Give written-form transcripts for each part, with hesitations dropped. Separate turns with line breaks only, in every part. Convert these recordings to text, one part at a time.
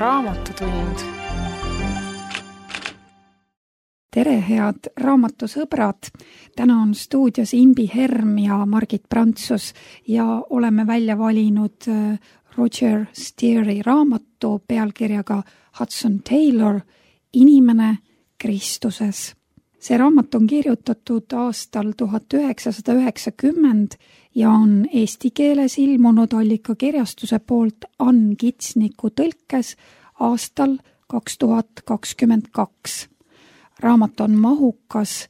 Raamatutund.
Tere, head raamatusõbrad! Täna on stuudios Imbi Herm ja Margit Prantsus ja oleme välja valinud Roger Steeri raamatu pealkirjaga Hudson Taylor, Inimene Kristuses. See raamat on kirjutatud aastal 1990 ja on eesti keeles ilmunud Allikakirjastuse poolt Ann Kitsniku tõlkes aastal 2022. Raamat on mahukas,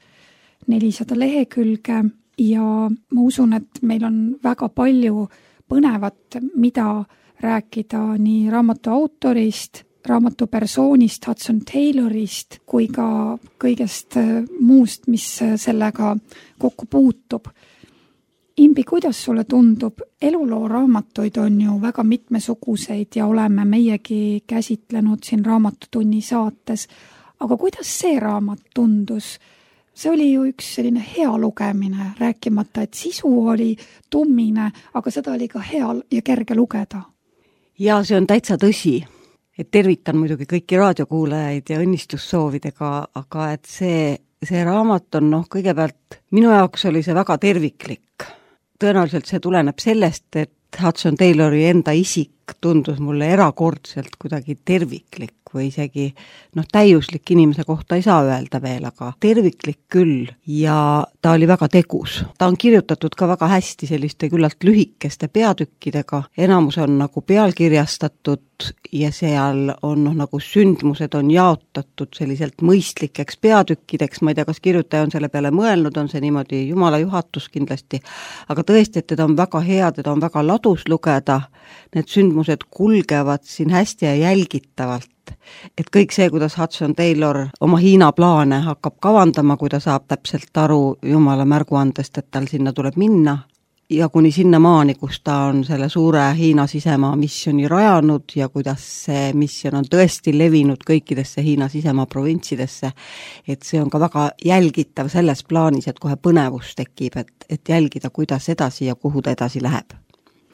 400 lehekülge ja ma usun, et meil on väga palju põnevat, mida rääkida nii raamatu autorist, raamatu persoonist, Hudson Taylorist, kui ka kõigest muust, mis sellega kokku puutub. Imbi, kuidas sulle tundub? Eluloo raamatuid on ju väga mitmesuguseid ja oleme meiegi käsitlenud siin Raamatutunni saates. Aga kuidas see raamat tundus? See oli ju üks selline hea lugemine, rääkimata, et sisu oli tummine, aga seda oli ka hea ja kerge lugeda.
Ja see on täitsa tõsi. Et tervitan muidugi kõiki raadiokuulajaid ja õnnistussoovidega, aga et see raamat on kõigepealt, minu jaoks oli see väga terviklik. Tõenäoliselt see tuleneb sellest, et Hudson Taylori enda isik tundus mulle erakordselt kuidagi terviklik või isegi täiuslik inimese kohta ei saa öelda veel, aga terviklik küll ja ta oli väga tegus. Ta on kirjutatud ka väga hästi selliste küllalt lühikeste peatükkidega, enamus on nagu pealkirjastatud ja seal on nagu sündmused on jaotatud selliselt mõistlikeks peatükkideks, ma ei tea, kas kirjutaja on selle peale mõelnud, on see niimoodi Jumala juhatus kindlasti, aga tõesti, et teda on väga hea, teda on väga ladus lugeda, need sündmused kulgevad siin hästi ja jälgitavalt. Et kõik see, kuidas Hudson Taylor oma Hiina plaane hakkab kavandama, kui ta saab täpselt aru Jumala märguandest, et tal sinna tuleb minna, ja kuni sinna maani, kus ta on selle suure Hiina sisemaa missioni rajanud ja kuidas see missioon on tõesti levinud kõikidesse Hiina sisemaa provintsidesse, et see on ka väga jälgitav selles plaanis, et kohe põnevus tekib, et jälgida, kuidas edasi ja kuhu ta edasi läheb.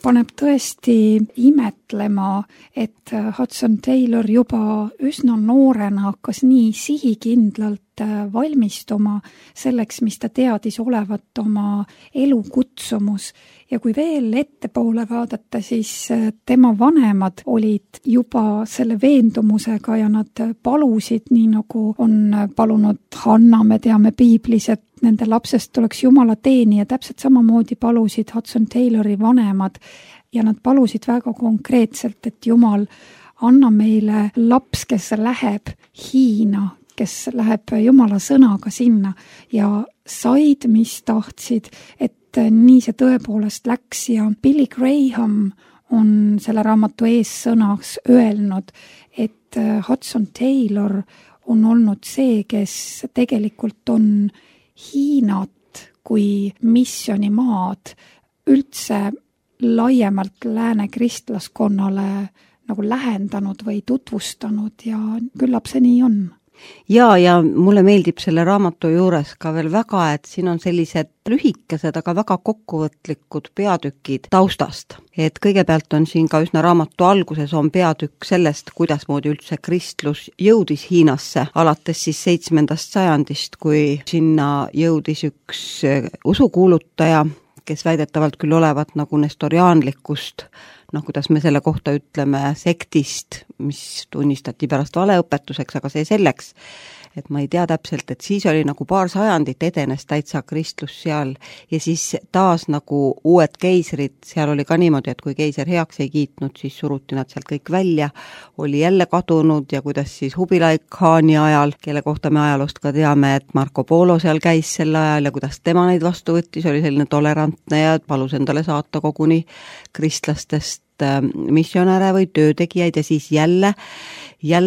Paneb tõesti imetlema, et Hudson Taylor juba üsna noorena hakkas nii sihikindlalt valmistuma selleks, mis ta teadis olevat oma elukutsumus. Ja kui veel ettepoole vaadata, siis tema vanemad olid juba selle veendumusega ja nad palusid, nii nagu on palunud Hanna, me teame piiblis, et nende lapsest tuleks Jumala teenija, täpselt samamoodi palusid Hudson Taylori vanemad ja nad palusid väga konkreetselt, et Jumal, anna meile laps, kes läheb Hiina, kes läheb Jumala sõnaga sinna ja said, mis tahtsid, et nii see tõepoolest läks ja Billy Graham on selle raamatu eessõnaks öelnud, et Hudson Taylor on olnud see, kes tegelikult on Hiinat kui missionimaad üldse laiemalt lääne kristlaskonnale nagu lähendanud või tutvustanud ja küllap see nii on.
Ja mulle meeldib selle raamatu juures ka veel väga, et siin on sellised lühikesed, aga väga kokkuvõtlikud peatükid taustast. Et kõigepealt on siin ka üsna raamatu alguses on peatükk sellest, kuidasmoodi üldse kristlus jõudis Hiinasse, alates siis 7. sajandist, kui sinna jõudis üks usukuulutaja, kes väidetavalt küll olevat nagu nestoriaanlikust, kuidas me selle kohta ütleme, sektist, mis tunnistati pärast valeõpetuseks, aga see selleks, et ma ei tea täpselt, et siis oli nagu paar sajandit edenes täitsa kristlus seal ja siis taas nagu uued keisrid, seal oli ka niimoodi, et kui keiser heaks ei kiitnud, siis suruti nad sealt kõik välja, oli jälle kadunud ja kuidas siis Kubilai Khani ajal, kelle kohta me ajaloost ka teame, et Marco Polo seal käis sel ajal ja kuidas tema neid vastu võttis, oli selline tolerantne ja palus endale saata koguni kristlastest missionäre või töötegijaid ja siis jälle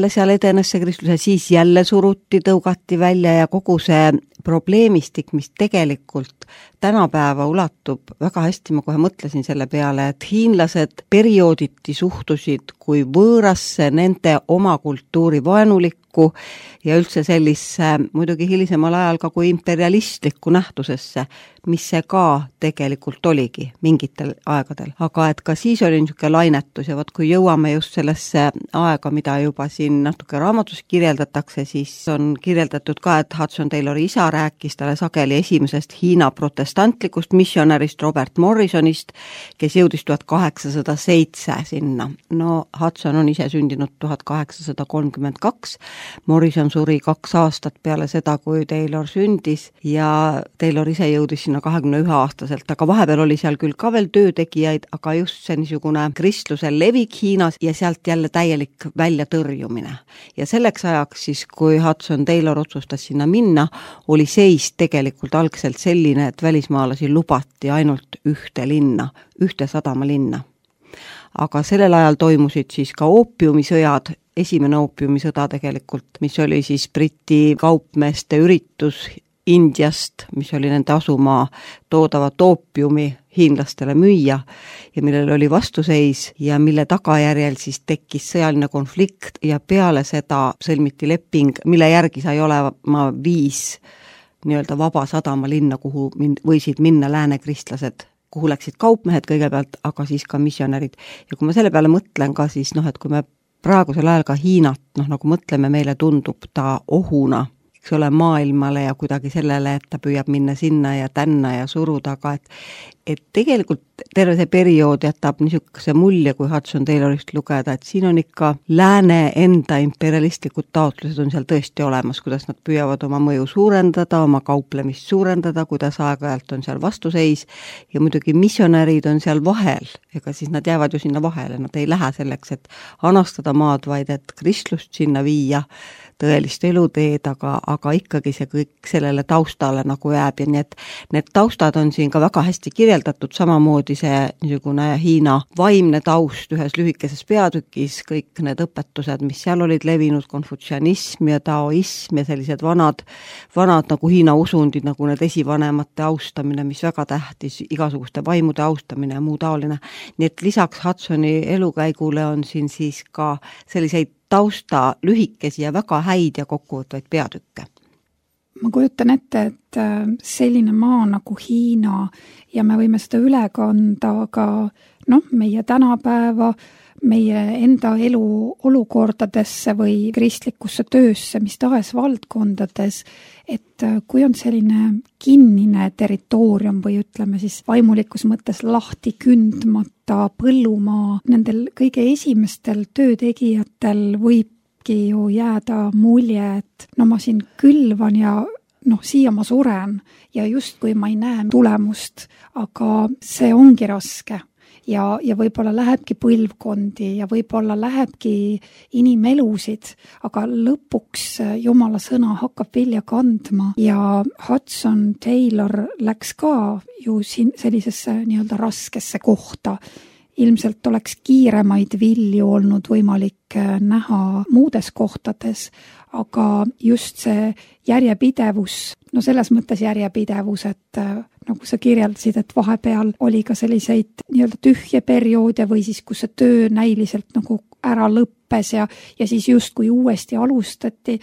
seal edenes see kristlus ja siis jälle suruti, tõugati välja ja kogu see probleemistik, mis tegelikult tänapäeva ulatub väga hästi, ma kohe mõtlesin selle peale, et hiinlased periooditi suhtusid kui võõrasse nende oma kultuuri vaenulikku õhku ja üldse sellisse muidugi hilisemal ajal ka kui imperialistlikku nähtusesse, mis see ka tegelikult oligi mingitel aegadel. Aga et ka siis oli niisugune lainetus ja kui jõuame just sellesse aega, mida juba siin natuke raamatus kirjeldatakse, siis on kirjeldatud ka, et Hudson Taylori isa rääkis talle sageli esimesest Hiina protestantlikust missionärist Robert Morrisonist, kes jõudis 1807 sinna. No Hudson on ise sündinud 1832, Morrison suri 2 aastat peale seda, kui Taylor sündis ja Taylor ise jõudis 21-aastaselt, aga vahepeal oli seal küll ka veel töötegijaid, aga just see niisugune kristluse levik Hiinas ja sealt jälle täielik väljatõrjumine. Ja selleks ajaks siis, kui Hudson Taylor otsustas sinna minna, oli seis tegelikult algselt selline, et välismaalasi lubati ainult ühte linna, ühte sadamalinna. Aga sellel ajal toimusid siis ka oopiumisõjad, esimene oopiumisõda tegelikult, mis oli siis Briti kaupmeeste üritus Indiast, mis oli nende asumaa toodavat oopiumi hiinlastele müüa ja millel oli vastuseis ja mille tagajärjel siis tekkis sõjaline konflikt ja peale seda sõlmiti leping, mille järgi sai olema 5 nii-öelda vaba sadamalinna, kuhu võisid minna lääne kristlased, kuhu läksid kaupmehed kõigepealt, aga siis ka missionärid. Ja kui ma selle peale mõtlen ka siis, et kui me praegusel ajal ka Hiinat, nagu mõtleme, meile tundub ta ohuna, eks ole, maailmale ja kuidagi sellele, et ta püüab minna sinna ja tänna ja suruda, aga et tegelikult terve see periood jätab niisuguse mulje, kui Hudson Taylorist lugeda, et siin on ikka lääne enda imperialistlikud taotlused on seal tõesti olemas, kuidas nad püüavad oma mõju suurendada, oma kauplemist suurendada, kuidas aeg-ajalt on seal vastuseis ja muidugi missionärid on seal vahel, ega siis nad jäävad ju sinna vahele, nad ei lähe selleks, et anastada maad, vaid et kristlust sinna viia, tõelist eluteed, aga ikkagi see kõik sellele taustale nagu jääb ja nii, et need taustad on siin ka väga hästi kirjeldatud, samamoodi see niisugune Hiina vaimne taust ühes lühikeses peatükis, kõik need õpetused, mis seal olid levinud, konfutsianism ja taoism ja sellised vanad nagu Hiina usundid, nagu need esivanemate austamine, mis väga tähtis, igasuguste vaimude austamine ja muu taoline. Nii et lisaks Hudsoni elukäigule on siin siis ka selliseid tausta lühikesi ja väga häid ja kokkuvõtvaid peatükke.
Ma kujutan ette, et selline maa nagu Hiina ja me võime seda üle kanda ka meie tänapäeva, meie enda elu olukordadesse või kristlikusse töösse, mis tahes valdkondades, et kui on selline kinnine territoorium või ütleme siis vaimulikus mõttes lahti kündmata põllumaa, nendel kõige esimestel töötegijatel võibki ju jääda mulje, et ma siin külvan ja siia ma suren ja justkui ma ei näe tulemust, aga see ongi raske. Ja võib-olla lähebki põlvkondi ja võib-olla lähebki inimelusid, aga lõpuks Jumala sõna hakkab vilja kandma ja Hudson Taylor läks ka ju sellisesse nii-öelda raskesse kohta. Ilmselt oleks kiiremaid vilju olnud võimalik näha muudes kohtades, aga just see järjepidevus, selles mõttes järjepidevus, et nagu sa kirjeldasid, et vahepeal oli ka selliseid nii-öelda tühje perioode või siis, kus see töö näiliselt nagu ära lõppes ja siis justkui uuesti alustati,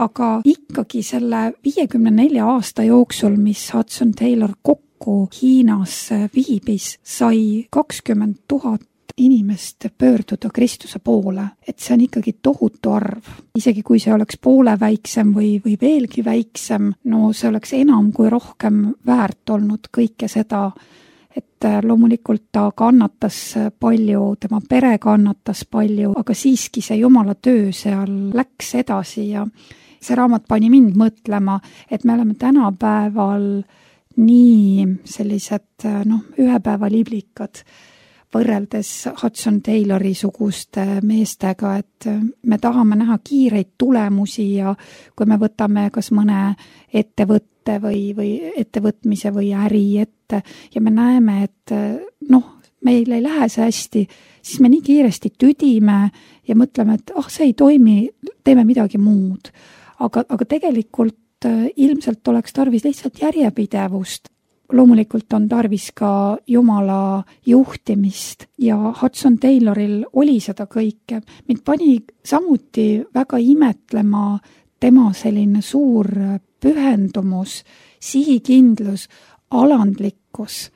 aga ikkagi selle 54 aasta jooksul, mis Hudson Taylor kokku Hiinas viibis, sai 20 000 inimest pöörduda Kristuse poole, et see on ikkagi tohutu arv. Isegi kui see oleks poole väiksem või veelgi väiksem, see oleks enam kui rohkem väärt olnud kõike seda, et loomulikult ta kannatas palju, tema pere kannatas palju, aga siiski see Jumala töö seal läks edasi ja see raamat pani mind mõtlema, et me oleme tänapäeval nii sellised ühepäevaliblikad võrreldes Hudson Taylori suguste meestega, et me tahame näha kiireid tulemusi ja kui me võtame kas mõne ettevõtte või ettevõtmise või äri ette ja me näeme, et meil ei lähe see hästi, siis me nii kiiresti tüdime ja mõtleme, et see ei toimi, teeme midagi muud. Aga tegelikult ilmselt oleks tarvis lihtsalt järjepidevust. loomulikult on tarvis ka Jumala juhtimist ja Hudson Tayloril oli seda kõike. Mind pani samuti väga imetlema tema selline suur pühendumus, sihikindlus, alandlikkus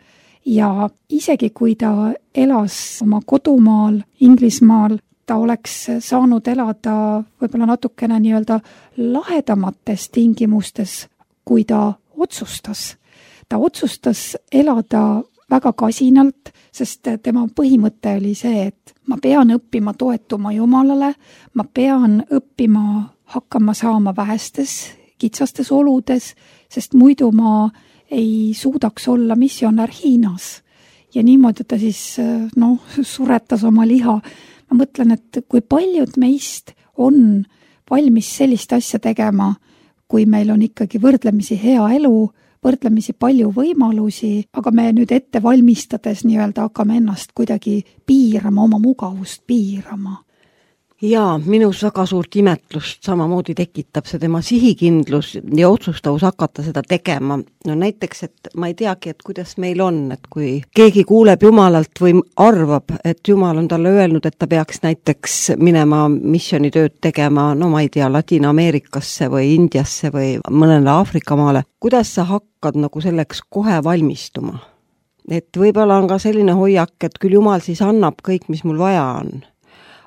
ja isegi kui ta elas oma kodumaal Inglismaal, ta oleks saanud elada võib-olla natukene nii-öelda lahedamates tingimustes, kui ta otsustas. Ta otsustas elada väga kasinalt, sest tema põhimõte oli see, et ma pean õppima toetuma Jumalale, ma pean õppima hakkama saama vähestes, kitsastes oludes, sest muidu ma ei suudaks olla missionär Hiinas. Ja niimoodi ta siis suretas oma liha. Ma mõtlen, et kui paljud meist on valmis sellist asja tegema, kui meil on ikkagi võrdlemisi hea elu, võrdlemisi palju võimalusi, aga me nüüd ette valmistades nii-öelda hakkame ennast kuidagi piirama, oma mugavust piirama.
Jaa, minus väga suurt imetlust samamoodi tekitab see tema sihikindlus ja otsustavus hakata seda tegema. No näiteks, et ma ei teagi, et kuidas meil on, et kui keegi kuuleb Jumalalt või arvab, et Jumal on talle öelnud, et ta peaks näiteks minema missionitööd tegema, no ma ei tea, Ladina-Ameerikasse või Indiasse või mõnele Aafrika maale, kuidas sa hakkad nagu selleks kohe valmistuma? Et võib-olla on ka selline hoiak, et küll Jumal siis annab kõik, mis mul vaja on.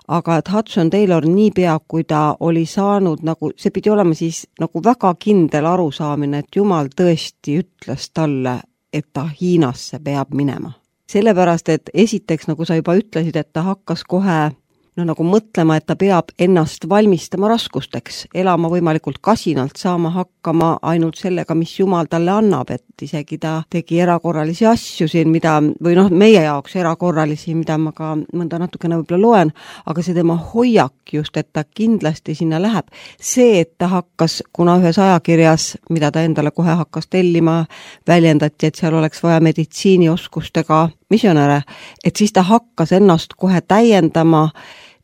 Aga et Hudson Taylor niipea, kui ta oli saanud, nagu see pidi olema siis nagu väga kindel arusaamine, et Jumal tõesti ütles talle, et ta Hiinasse peab minema. Sellepärast, et esiteks, nagu sa juba ütlesid, et ta hakkas kohe nagu mõtlema, et ta peab ennast valmistama raskusteks, elama võimalikult kasinalt, saama hakkama ainult sellega, mis Jumal talle annab, et isegi ta tegi erakorralisi asju siin, mida, või meie jaoks erakorralisi, mida ma ka mõnda natukene võib-olla loen, aga see tema hoiak just, et ta kindlasti sinna läheb. See, et ta hakkas, kuna ühes ajakirjas, mida ta endale kohe hakkas tellima, väljendati, et seal oleks vaja meditsiinioskustega missionäre, et siis ta hakkas ennast kohe täiendama.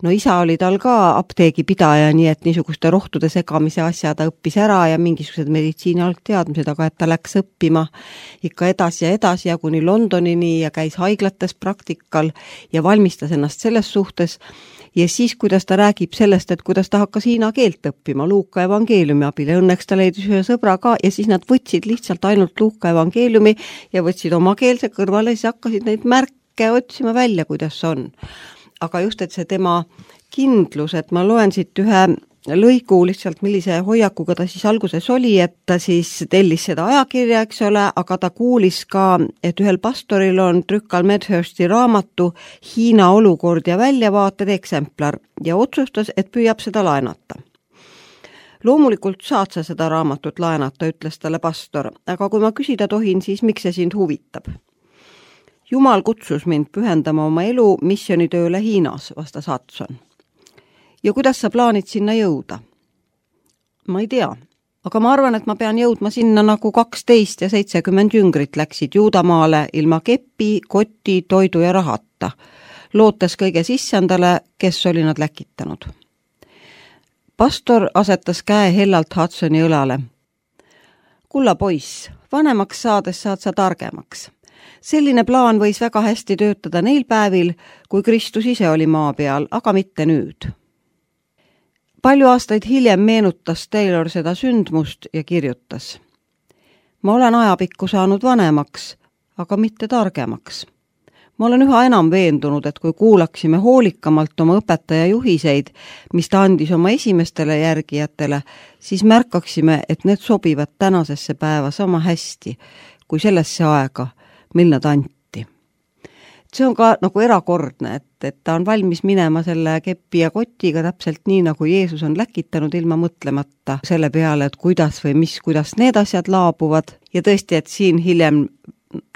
No isa oli tal ka apteegipidaja, nii et niisuguste rohtude segamise asja ta õppis ära ja mingisugused meditsiini algteadmised, aga et ta läks õppima ikka edasi ja kuni Londonini ja käis haiglates praktikal ja valmistas ennast selles suhtes. Ja siis, kuidas ta räägib sellest, et kuidas ta hakkas hiina keelt õppima Luuka evangeeliumi abil ja õnneks ta leidis ühe sõbra ka ja siis nad võtsid lihtsalt ainult Luuka evangeeliumi ja võtsid oma keelse kõrvale ja siis hakkasid neid märke otsima välja, kuidas on. Aga just, et see tema kindlus, et ma loen siit ühe lõigu lihtsalt, millise hoiakuga ta siis alguses oli, et ta siis tellis seda ajakirja, eks ole, aga ta kuulis ka, et ühel pastoril on Trükal Medhursti raamatu Hiina olukord ja väljavaated eksemplar ja otsustas, et püüab seda laenata. Loomulikult saad sa seda raamatut laenata, ütles talle pastor, aga kui ma küsida tohin, siis miks see sind huvitab? Jumal kutsus mind pühendama oma elu missionitööle Hiinas, vastas Hudson. Ja kuidas sa plaanid sinna jõuda? Ma ei tea, aga ma arvan, et ma pean jõudma sinna nagu 12 ja 70 jüngrit läksid Juudamaale ilma kepi, koti, toidu ja rahata, lootes kõige sissendale, kes oli nad läkitanud. Pastor asetas käe hellalt Hudsoni õlale. Kulla poiss, vanemaks saades saad sa targemaks. Selline plaan võis väga hästi töötada neil päevil, kui Kristus ise oli maa peal, aga mitte nüüd. Palju aastaid hiljem meenutas Taylor seda sündmust ja kirjutas. Ma olen ajapikku saanud vanemaks, aga mitte targemaks. Ma olen üha enam veendunud, et kui kuulaksime hoolikamalt oma õpetaja juhiseid, mis ta andis oma esimestele järgijatele, siis märkaksime, et need sobivad tänasesse päeva sama hästi kui sellesse aega, mil nad anti. See on ka nagu erakordne, et ta on valmis minema selle kepi ja kotiga täpselt nii, nagu Jeesus on läkitanud ilma mõtlemata selle peale, et kuidas need asjad laabuvad. Ja tõesti, et siin hiljem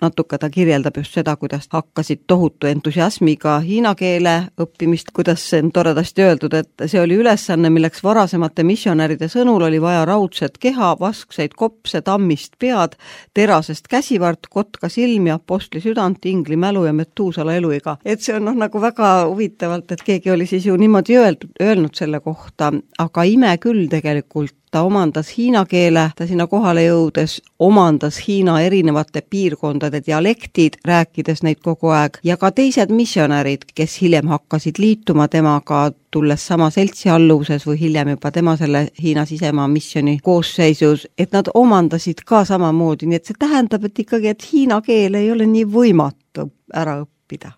natuke ta kirjeldab just seda, kuidas hakkasid tohutu entusiasmiga hiina keele õppimist, kuidas see on toredasti öeldud, et see oli ülesanne, milleks varasemate missionäride sõnul oli vaja raudset keha, vaskseid kopse, tammist pead, terasest käsivart, kotka silmi, apostli südant, ingli mälu ja Metuusala eluiga. Et see on nagu väga huvitavalt, et keegi oli siis ju niimoodi öelnud selle kohta, aga ime küll tegelikult ta omandas hiina keele, ta sinna kohale jõudes omandas Hiina erinevate piirkondade dialektid, rääkides neid kogu aeg, ja ka teised missionärid, kes hiljem hakkasid liituma temaga, tulles sama seltsi alluvuses või hiljem juba tema selle Hiina sisemaa missioni koosseisus, et nad omandasid ka samamoodi, nii et see tähendab, et ikkagi, et hiina keel ei ole nii võimatu ära õppida.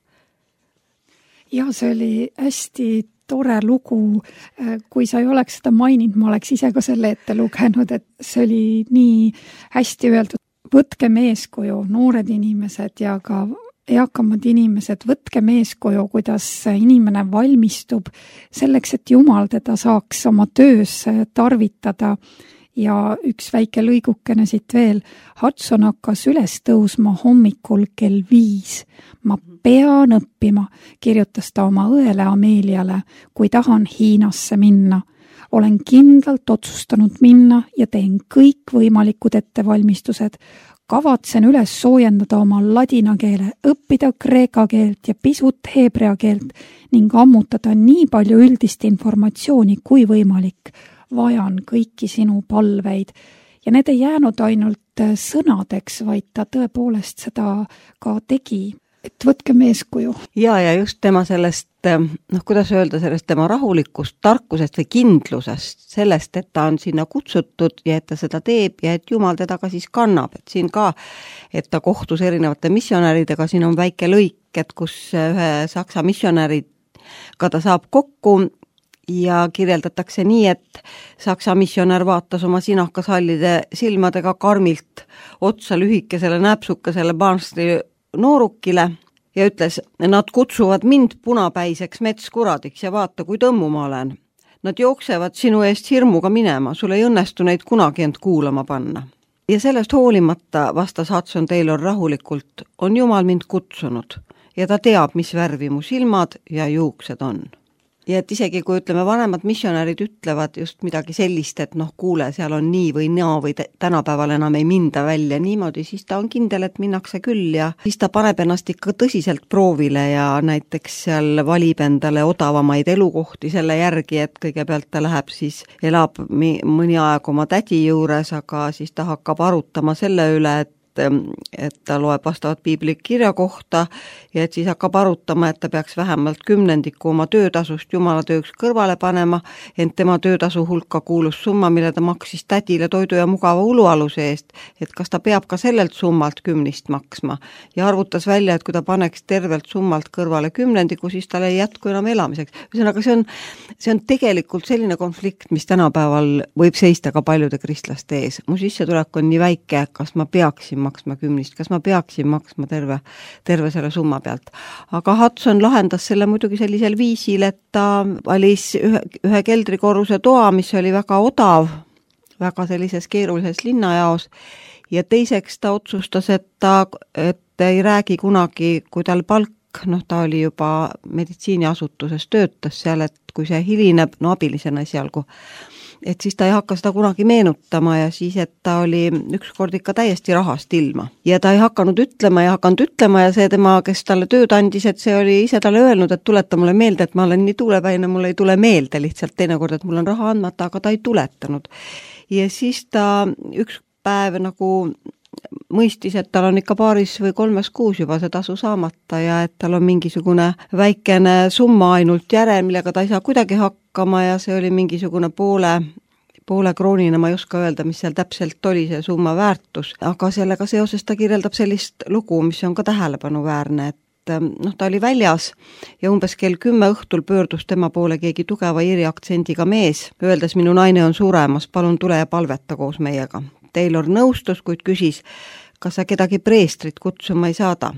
Ja see oli hästi tore lugu, kui sa ei oleks seda maininud, ma oleks ise ka selle ette lugenud, et see oli nii hästi öeldud. Võtkem eeskuju, noored inimesed ja ka eakamad inimesed, võtkem eeskuju, kuidas inimene valmistub selleks, et Jumal teda saaks oma töös tarvitada. Ja üks väike lõigukene siit veel. Hudson hakkas üles tõusma hommikul kell 5. Ma pean õppima, kirjutas ta oma õele Ameliale, kui tahan Hiinasse minna. Olen kindlalt otsustanud minna ja teen kõik võimalikud ettevalmistused. Kavatsen üles soojendada oma ladina keele, õppida kreeka keelt ja pisut heebrea keelt ning ammutada nii palju üldist informatsiooni kui võimalik. Vajan kõiki sinu palveid. Ja need ei jäänud ainult sõnadeks, vaid ta tõepoolest seda ka tegi. Et võtkem eeskuju.
Ja just tema sellest, kuidas öelda, sellest tema rahulikust, tarkusest või kindlusest, sellest, et ta on sinna kutsutud ja et ta seda teeb ja et Jumal teda ka siis kannab. Et siin ka, et ta kohtus erinevate missionäridega, siin on väike lõik, et kus ühe saksa missionäriga ta saab kokku ja kirjeldatakse nii, et saksa missionär vaatas oma sinakashallide silmadega karmilt otsa lühikesele näpsukesele Barnstri noorukile ja ütles, nad kutsuvad mind punapäiseks metskuradiks ja vaata, kui tõmmu ma olen. Nad jooksevad sinu eest hirmuga minema, sul ei õnnestu neid kunagi end kuulama panna. Ja sellest hoolimata, vastas Hudson Taylor rahulikult, on Jumal mind kutsunud ja ta teab, mis värvi mu silmad ja juuksed on. Ja et isegi kui ütleme, vanemad missionärid ütlevad just midagi sellist, et kuule, seal on nii või naa või tänapäeval enam ei minda välja niimoodi, siis ta on kindel, et minnakse küll ja siis ta paneb ennast ikka tõsiselt proovile ja näiteks seal valib endale odavamaid elukohti selle järgi, et kõigepealt ta läheb siis, elab mõni aeg oma tädi juures, aga siis ta hakkab arutama selle üle, et ta loeb vastavat piibli kirja kohta ja et siis hakkab arutama, et ta peaks vähemalt 10% oma töötasust Jumala tööks kõrvale panema, ent tema töötasu hulka kuulus summa, mille ta maksis tädile toidu ja mugava ulualuse eest, et kas ta peab ka sellelt summalt 10 maksma ja arvutas välja, et kui ta paneks tervelt summalt kõrvale 10, siis tal ei jätku enam elamiseks. Ühesõnaga, see on tegelikult selline konflikt, mis tänapäeval võib seista ka paljude kristlaste ees. Mu sissetulek on nii väike, kas ma peaksin maksma 10, kas ma peaksin maksma terve selle summa pealt. Aga Hudson lahendas selle muidugi sellisel viisil, et ta valis ühe keldrikorruse toa, mis oli väga odav, väga sellises keerulises linnajaos ja teiseks ta otsustas, et ei räägi kunagi, kui tal palk, ta oli juba meditsiiniasutuses töötas seal, et kui see hilineb, abilisena esialgu, et siis ta ei hakka seda kunagi meenutama ja siis, et ta oli ükskord ikka täiesti rahast ilma. Ja ta ei hakanud ütlema ja see tema, kes talle tööd andis, et see oli ise talle öelnud, et tuleta mulle meelde, et ma olen nii tuulepäine, mulle ei tule meelde lihtsalt teinekord, et mul on raha andmata, aga ta ei tuletanud. Ja siis ta üks päev mõistis, et tal on ikka 2 või 3 kuus juba see tasu saamata ja et tal on mingisugune väikene summa ainult järel, millega ta ei saa kuidagi hakkama ja see oli mingisugune poole kroonina, ma ei oska öelda, mis seal täpselt oli see summa väärtus, aga sellega seoses ta kirjeldab sellist lugu, mis on ka tähelepanuväärne, et ta oli väljas ja umbes kell 10 õhtul pöördus tema poole keegi tugeva iiri aktsendiga mees, öeldes, minu naine on suremas, palun tule ja palveta koos meiega. Taylor nõustus, kuid küsis, kas sa kedagi preestrit kutsuma ei saada.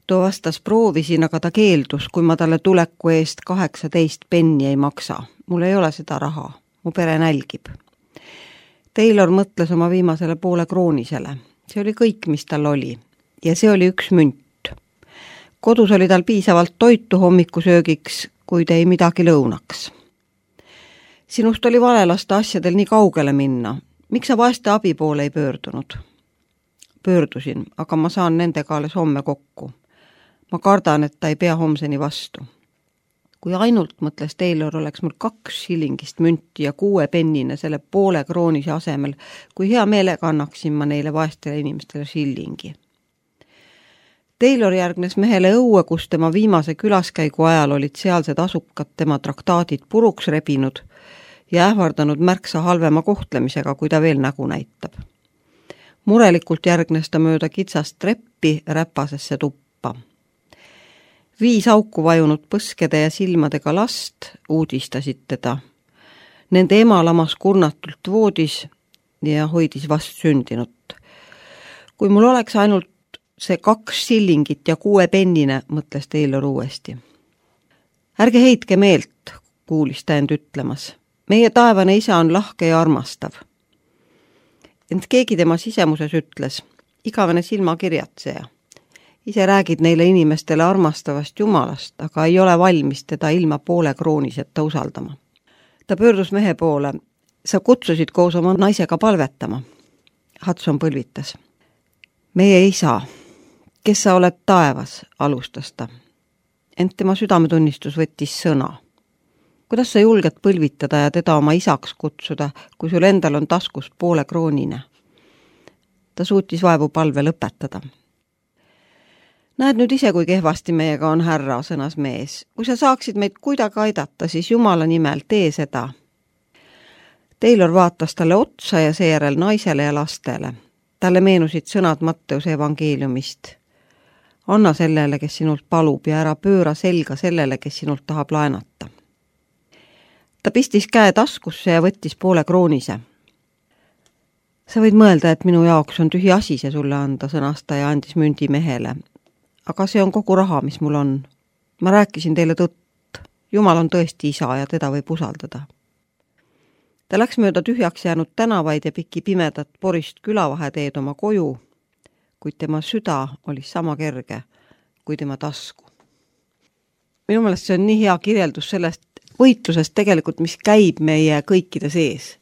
Too vastas, proovisin, aga ta keeldus, kui ma talle tuleku eest 18 penni ei maksa. Mul ei ole seda raha, mu pere nälgib. Taylor mõtles oma viimasele poole kroonisele. See oli kõik, mis tal oli. Ja see oli 1 münt. Kodus oli tal piisavalt toitu hommikusöögiks, kuid ei midagi lõunaks. Sinust oli vale lasta asjadel nii kaugele minna. Miks sa vaeste abi poole ei pöördunud? Pöördusin, aga ma saan nendega alles homme kokku. Ma kardan, et ta ei pea homseni vastu. kui ainult, mõtles Taylor, oleks mul 2 shillingist münti ja 6 pennine selle poole kroonise asemel, kui hea meelega annaksin ma neile vaestele inimestele shillingi. Taylor järgnes mehele õue, kus tema viimase külaskäigu ajal olid sealsed asukad tema traktaadid puruks rebinud ja ähvardanud märksa halvema kohtlemisega, kui ta veel nägu näitab. Murelikult järgnes ta mööda kitsast treppi räpasesse tuppa. 5 auku vajunud põskede ja silmadega last uudistasid teda. Nende ema lamas kurnatult voodis ja hoidis vast sündinut. Kui mul oleks ainult see 2 shillingit ja 6 pennine, mõtles Taylor uuesti. Ärge heitke meelt, kuulis ta end ütlemas. Meie taevane isa on lahke ja armastav. Ent keegi tema sisemuses ütles, igavene silmakirjatseja. Ise räägid neile inimestele armastavast Jumalast, aga ei ole valmis teda ilma poole krooniseta usaldama. Ta pöördus mehe poole. Sa kutsusid koos oma naisega palvetama. Hudson põlvitas. Meie isa, kes sa oled taevas, alustas ta. Ent tema südametunnistus võttis sõna. Kuidas sa julged põlvitada ja teda oma isaks kutsuda, kui sul endal on taskus poole kroonine? Ta suutis vaevu palve lõpetada. Näed nüüd ise, kui kehvasti meiega on härra, sõnas mees. Kui sa saaksid meid kuidagi aidata, siis Jumala nimel tee seda. Taylor vaatas talle otsa ja seejärel naisele ja lastele. Talle meenusid sõnad Matteuse evangeeliumist. Anna sellele, kes sinult palub ja ära pööra selga sellele, kes sinult tahab laenata. Ta pistis käe taskusse ja võttis poole kroonise. Sa võid mõelda, et minu jaoks on tühi asi see sulle anda, sõnas ta ja andis mündi mehele. Aga see on kogu raha, mis mul on. Ma rääkisin teile tõtt. Jumal on tõesti isa ja teda võib usaldada. Ta läks mööda tühjaks jäänud tänavaid ja pikki pimedat porist külavaheteed oma koju, kuid tema süda oli sama kerge kui tema tasku. Minu meelest see on nii hea kirjeldus sellest võitlusest tegelikult, mis käib meie kõikide sees.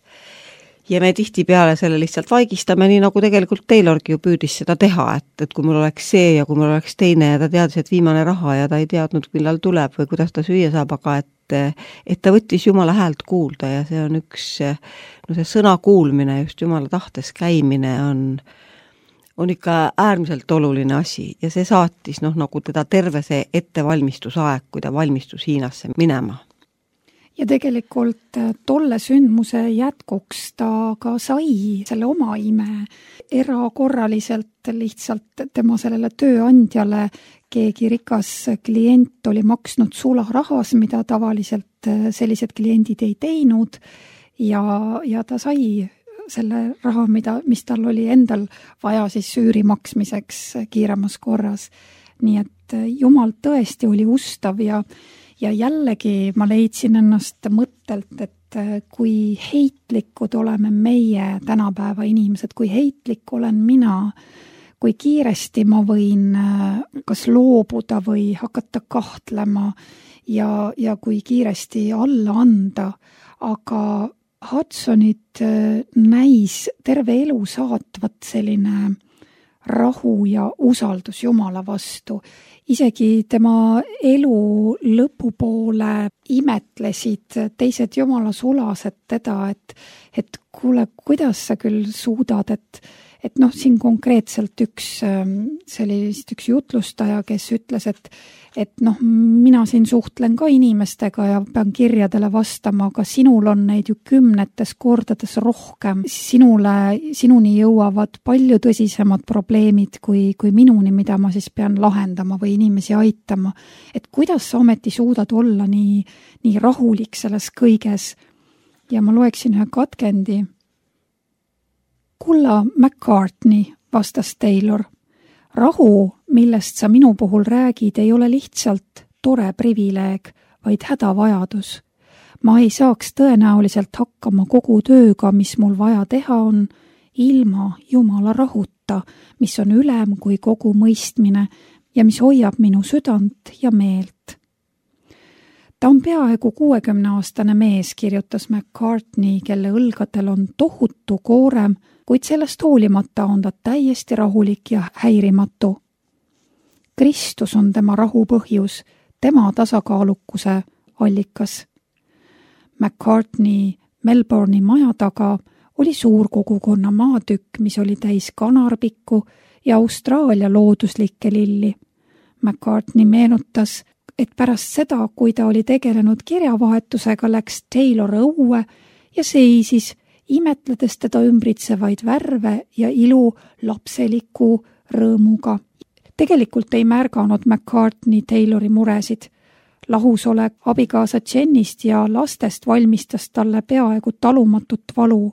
Ja me tihtipeale selle lihtsalt vaigistame, nii nagu tegelikult Taylorgi ju püüdis seda teha, et kui mul oleks see ja kui mul oleks teine ja ta teadis, et viimane raha ja ta ei teadnud, millal tuleb või kuidas ta süüa saab, aga et ta võttis Jumala häält kuulda ja see on üks, no see sõna kuulmine, just Jumala tahtes käimine on ikka äärmiselt oluline asi ja see saatis nagu teda terve see ettevalmistusaeg, kui ta valmistus Hiinasse minema.
Ja tegelikult tolle sündmuse jätkuks ta ka sai selle oma ime erakorraliselt lihtsalt tema sellele tööandjale keegi rikas klient oli maksnud sularahas, mida tavaliselt sellised kliendid ei teinud ja ta sai selle raha, mis tal oli endal vaja siis üüri maksmiseks kiiremas korras. Nii et Jumal tõesti oli ustav ja jällegi ma leidsin ennast mõttelt, et kui heitlikud oleme meie tänapäeva inimesed, kui heitlik olen mina, kui kiiresti ma võin kas loobuda või hakata kahtlema ja kui kiiresti alla anda, aga Hudsonit näis terve elu saatvat selline rahu ja usaldus Jumala vastu. Isegi tema elu lõpupoole imetlesid teised Jumala sulased teda, et kuule, kuidas sa küll suudad, et siin konkreetselt üks jutlustaja, kes ütles, et mina siin suhtlen ka inimestega ja pean kirjadele vastama, aga sinul on neid ju 10 kordades rohkem. Sinuni jõuavad palju tõsisemad probleemid kui minuni, mida ma siis pean lahendama või inimesi aitama. Et kuidas sa ometi suudad olla nii rahulik selles kõiges? Ja ma loeksin ühe katkendi. Kulla McCartney, vastas Taylor. Rahu, millest sa minu puhul räägid, ei ole lihtsalt tore privileeg, vaid hädavajadus. Ma ei saaks tõenäoliselt hakkama kogu tööga, mis mul vaja teha on, ilma Jumala rahuta, mis on ülem kui kogu mõistmine ja mis hoiab minu südant ja meelt. Ta on peaaegu 60-aastane mees, kirjutas McCartney, kelle õlgadel on tohutu koorem, kuid sellest hoolimata on ta täiesti rahulik ja häirimatu. Kristus on tema rahu põhjus, tema tasakaalukuse allikas. McCartney Melbourne'i maja taga oli suur kogukonna maatükk, mis oli täis kanarpikku ja Austraalia looduslikke lilli. McCartney meenutas, et pärast seda, kui ta oli tegelenud kirjavahetusega, läks Taylor õue ja seisis, imetledes teda ümbritsevaid värve ja ilu lapseliku rõõmuga. Tegelikult ei märganud McCartney Taylori muresid. Lahusolek abikaasa Jennist ja lastest valmistas talle peaaegu talumatut valu.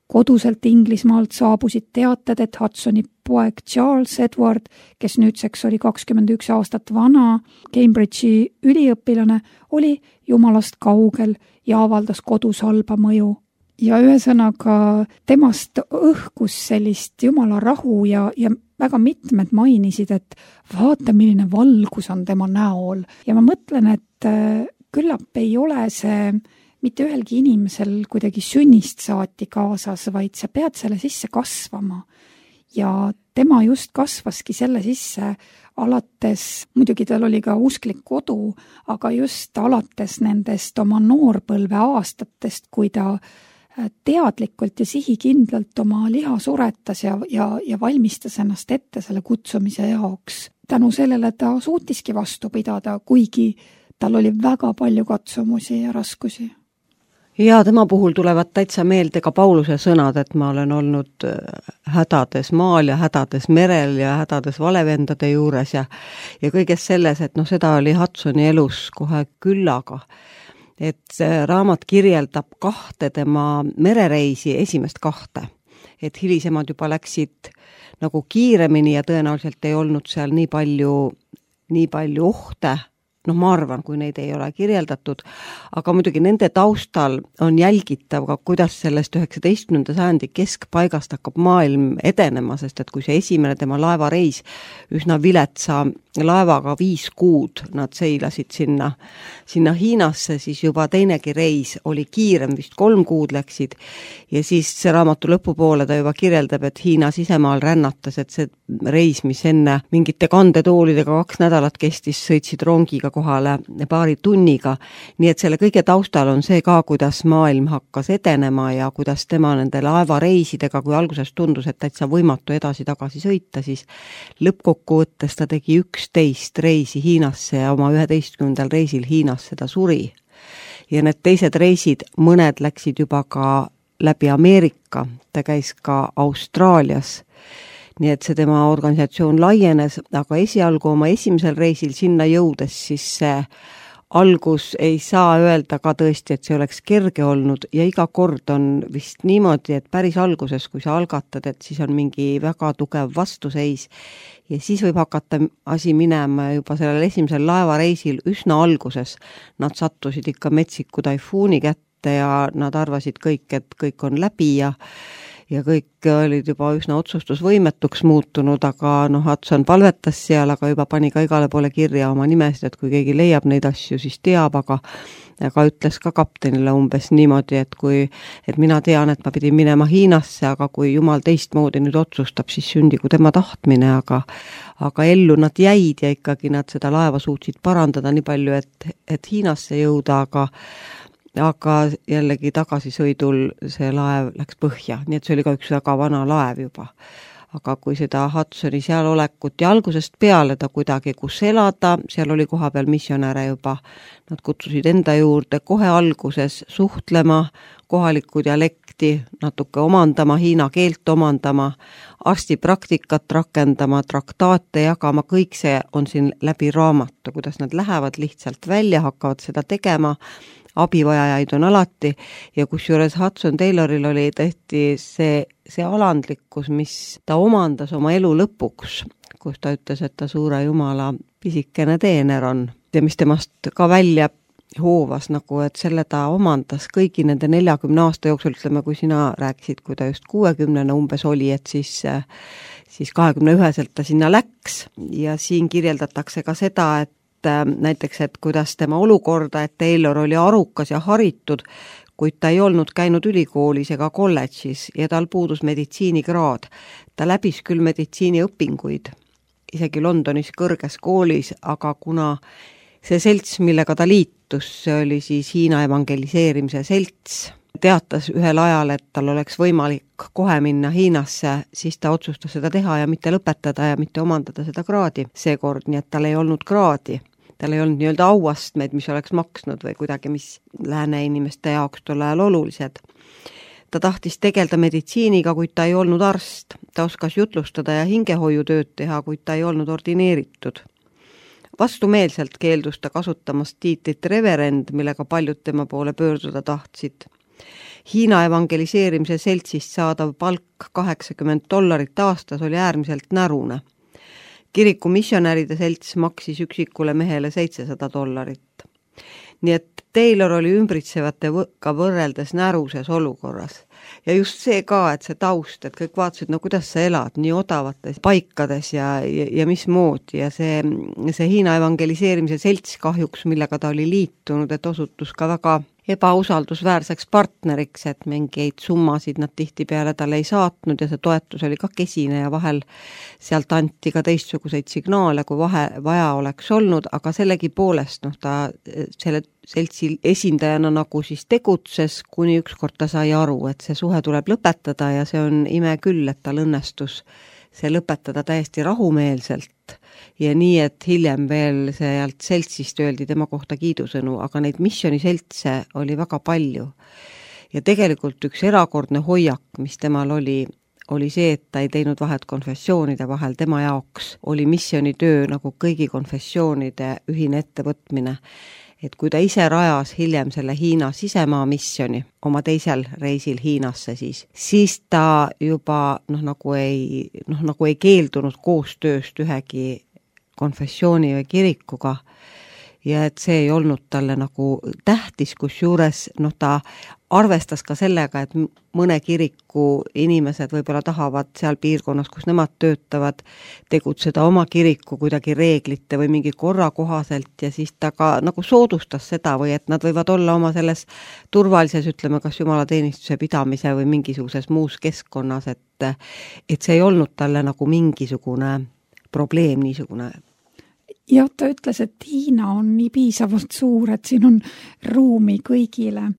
Koduselt Inglismaalt saabusid teated, et Hudsoni poeg Charles Edward, kes nüüdseks oli 21 aastat vana, Cambridge'i üliõpilane, oli jumalast kaugel ja avaldas kodus halba mõju. Ja ühesõnaga temast õhkus sellist jumala rahu ja väga mitmed mainisid, et vaata, milline valgus on tema näol. Ja ma mõtlen, et küllap ei ole see mitte ühelgi inimesel kuidagi sünnist saati kaasas, vaid sa pead selle sisse kasvama. Ja tema just kasvaski selle sisse alates, muidugi tal oli ka usklik kodu, aga just alates nendest oma noorpõlve aastatest, kui ta teadlikult ja sihikindlalt oma liha suretas ja valmistas ennast ette selle kutsumise jaoks. Tänu sellele ta suutiski vastu pidada, kuigi tal oli väga palju katsumusi ja raskusi.
Ja tema puhul tulevad täitsa meelde ka Pauluse sõnad, et ma olen olnud hädades maal ja hädades merel ja hädades valevendade juures ja kõiges selles, et seda oli Hudsoni elus kohe küllaga. Et see raamat kirjeldab 2 tema merereisi, esimest 2. Et hilisemad juba läksid nagu kiiremini ja tõenäoliselt ei olnud seal nii palju ohte. Ma arvan, kui neid ei ole kirjeldatud, aga muidugi nende taustal on jälgitav ka, kuidas sellest 19. sajandi keskpaigast hakkab maailm edenema, sest et kui see esimene tema laevareis üsna viletsa laevaga 5 kuud nad seilasid sinna Hiinasse, siis juba teinegi reis oli kiirem, vist 3 kuud läksid ja siis see raamatu lõpupoole ta juba kirjeldab, et Hiina sisemaal rännatas, et see reis, mis enne mingite kandetoolidega 2 nädalat kestis, sõitsid rongiga kohale paari tunniga, nii et selle kõige taustal on see ka, kuidas maailm hakkas edenema ja kuidas tema nende laevareisidega, kui alguses tundus, et täitsa võimatu edasi-tagasi sõita, siis lõppkokkuvõttes ta tegi 11 reisi Hiinasse ja oma 11. reisil Hiinasse ta suri. Ja need teised reisid, mõned läksid juba ka läbi Ameerika, ta käis ka Austraalias. Nii et see tema organisatsioon laienes, aga esialgu oma esimesel reisil sinna jõudes, siis see algus ei saa öelda ka tõesti, et see oleks kerge olnud ja iga kord on vist niimoodi, et päris alguses, kui sa algatad, et siis on mingi väga tugev vastuseis ja siis võib hakata asi minema juba sellel esimesel laevareisil üsna alguses. Nad sattusid ikka metsiku taifuuni kätte ja nad arvasid kõik, et kõik on läbi ja kõik olid juba üsna otsustusvõimetuks muutunud, aga Hudson palvetas seal, aga juba pani ka igale poole kirja oma nimesid, et kui keegi leiab neid asju, siis teab, aga ütles ka kaptenile umbes niimoodi, et mina tean, et ma pidin minema Hiinasse, aga kui jumal teistmoodi nüüd otsustab, siis sündigu tema tahtmine, aga ellu nad jäid ja ikkagi nad seda laeva suutsid parandada nii palju, et Hiinasse jõuda, aga jällegi tagasisõidul see laev läks põhja, nii et see oli ka üks väga vana laev juba. Aga kui seda Hudsoni seal olekut ja algusest peale ta kuidagi kus elada, seal oli koha peal missionäre juba, nad kutsusid enda juurde kohe alguses suhtlema, kohalikku dialekti natuke omandama, hiina keelt omandama, arstipraktikat rakendama, traktaate jagama, kõik see on siin läbi raamatu, kuidas nad lähevad lihtsalt välja, hakkavad seda tegema, abivajajaid on alati ja kusjuures Hudson Tayloril oli tõesti see alandlikkus, mis ta omandas oma elu lõpuks, kus ta ütles, et ta suure jumala pisikene teener on ja mis temast ka välja hoovas, nagu et selle ta omandas kõigi nende 40 aasta jooksul, ütleme, kui sina rääkisid, kui ta just 60 umbes oli, et siis 21-selt ta sinna läks ja siin kirjeldatakse ka seda, et näiteks, et kuidas tema olukorda, et Taylor oli arukas ja haritud, kuid ta ei olnud käinud ülikoolis ega kolledžis ja tal puudus meditsiinikraad. Ta läbis küll meditsiiniõpinguid, isegi Londonis kõrges koolis, aga kuna see selts, millega ta liitus, õnnestus, see oli siis Hiina evangeliseerimise selts. Teatas ühel ajal, et tal oleks võimalik kohe minna Hiinasse, siis ta otsustas seda teha ja mitte lõpetada ja mitte omandada seda kraadi seekord, nii et tal ei olnud kraadi. Tal ei olnud nii-öelda auastmeid, mis oleks maksnud või kuidagi, mis lääne inimeste jaoks tol ajal olulised. Ta tahtis tegelda meditsiiniga, kuid ta ei olnud arst. Ta oskas jutlustada ja hingehoiutööd teha, kuid ta ei olnud ordineeritud. Vastumeelselt keeldus ta kasutamast tiitlit reverend, millega paljud tema poole pöörduda tahtsid. Hiina evangeliseerimise seltsist saadav palk $80 aastas oli äärmiselt närune. Kiriku missionäride selts maksis üksikule mehele $700. Nii et Taylor oli ümbritsevatega võrreldes näruses olukorras. Ja just see ka, et see taust, et kõik vaatasid, no kuidas sa elad nii odavates paikades ja mismoodi. Ja see Hiina evangeliseerimise selts kahjuks, millega ta oli liitunud, et osutus ka väga ebausaldusväärseks partneriks, et mingeid summasid nad tihtipeale talle ei saatnud ja see toetus oli ka kesine ja vahel sealt anti ka teistsuguseid signaale, kui vaja oleks olnud, aga sellegi poolest ta selle seltsi esindajana nagu siis tegutses, kuni ükskord ta sai aru, et see suhe tuleb lõpetada ja see on ime küll, et tal õnnestus see lõpetada täiesti rahumeelselt ja nii, et hiljem veel sealt seltsist öeldi tema kohta kiidusõnu, aga neid missioniseltse oli väga palju. Ja tegelikult üks erakordne hoiak, mis temal oli see, et ta ei teinud vahet konfessioonide vahel, tema jaoks oli missionitöö nagu kõigi konfessioonide ühine ettevõtmine. Et kui ta ise rajas hiljem selle Hiina sisemaa missioni oma teisel reisil Hiinasse, siis ta juba nagu ei keeldunud koostööst ühegi konfessiooni või kirikuga ja et see ei olnud talle nagu tähtis, kusjuures ta arvestas ka sellega, et mõne kiriku inimesed võib-olla tahavad seal piirkonnas, kus nemad töötavad, tegutseda oma kiriku kuidagi reeglite või mingi korra kohaselt ja siis ta ka nagu soodustas seda või et nad võivad olla oma selles turvalises, ütleme, kas jumalateenistuse pidamise või mingisuguses muus keskkonnas, et see ei olnud talle nagu mingisugune probleem niisugune.
Ja ta ütles, et Hiina on nii piisavalt suur, et siin on ruumi kõigile.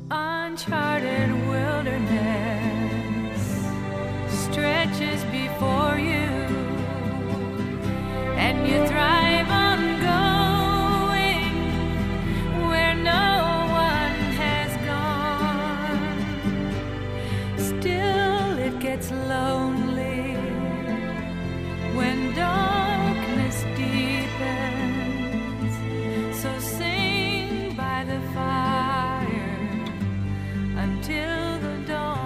Uncharted wilderness stretches before you, and you thrive on going where no one has gone. Still it gets lonely when darkness deepens, so sing by the fire until the dawn.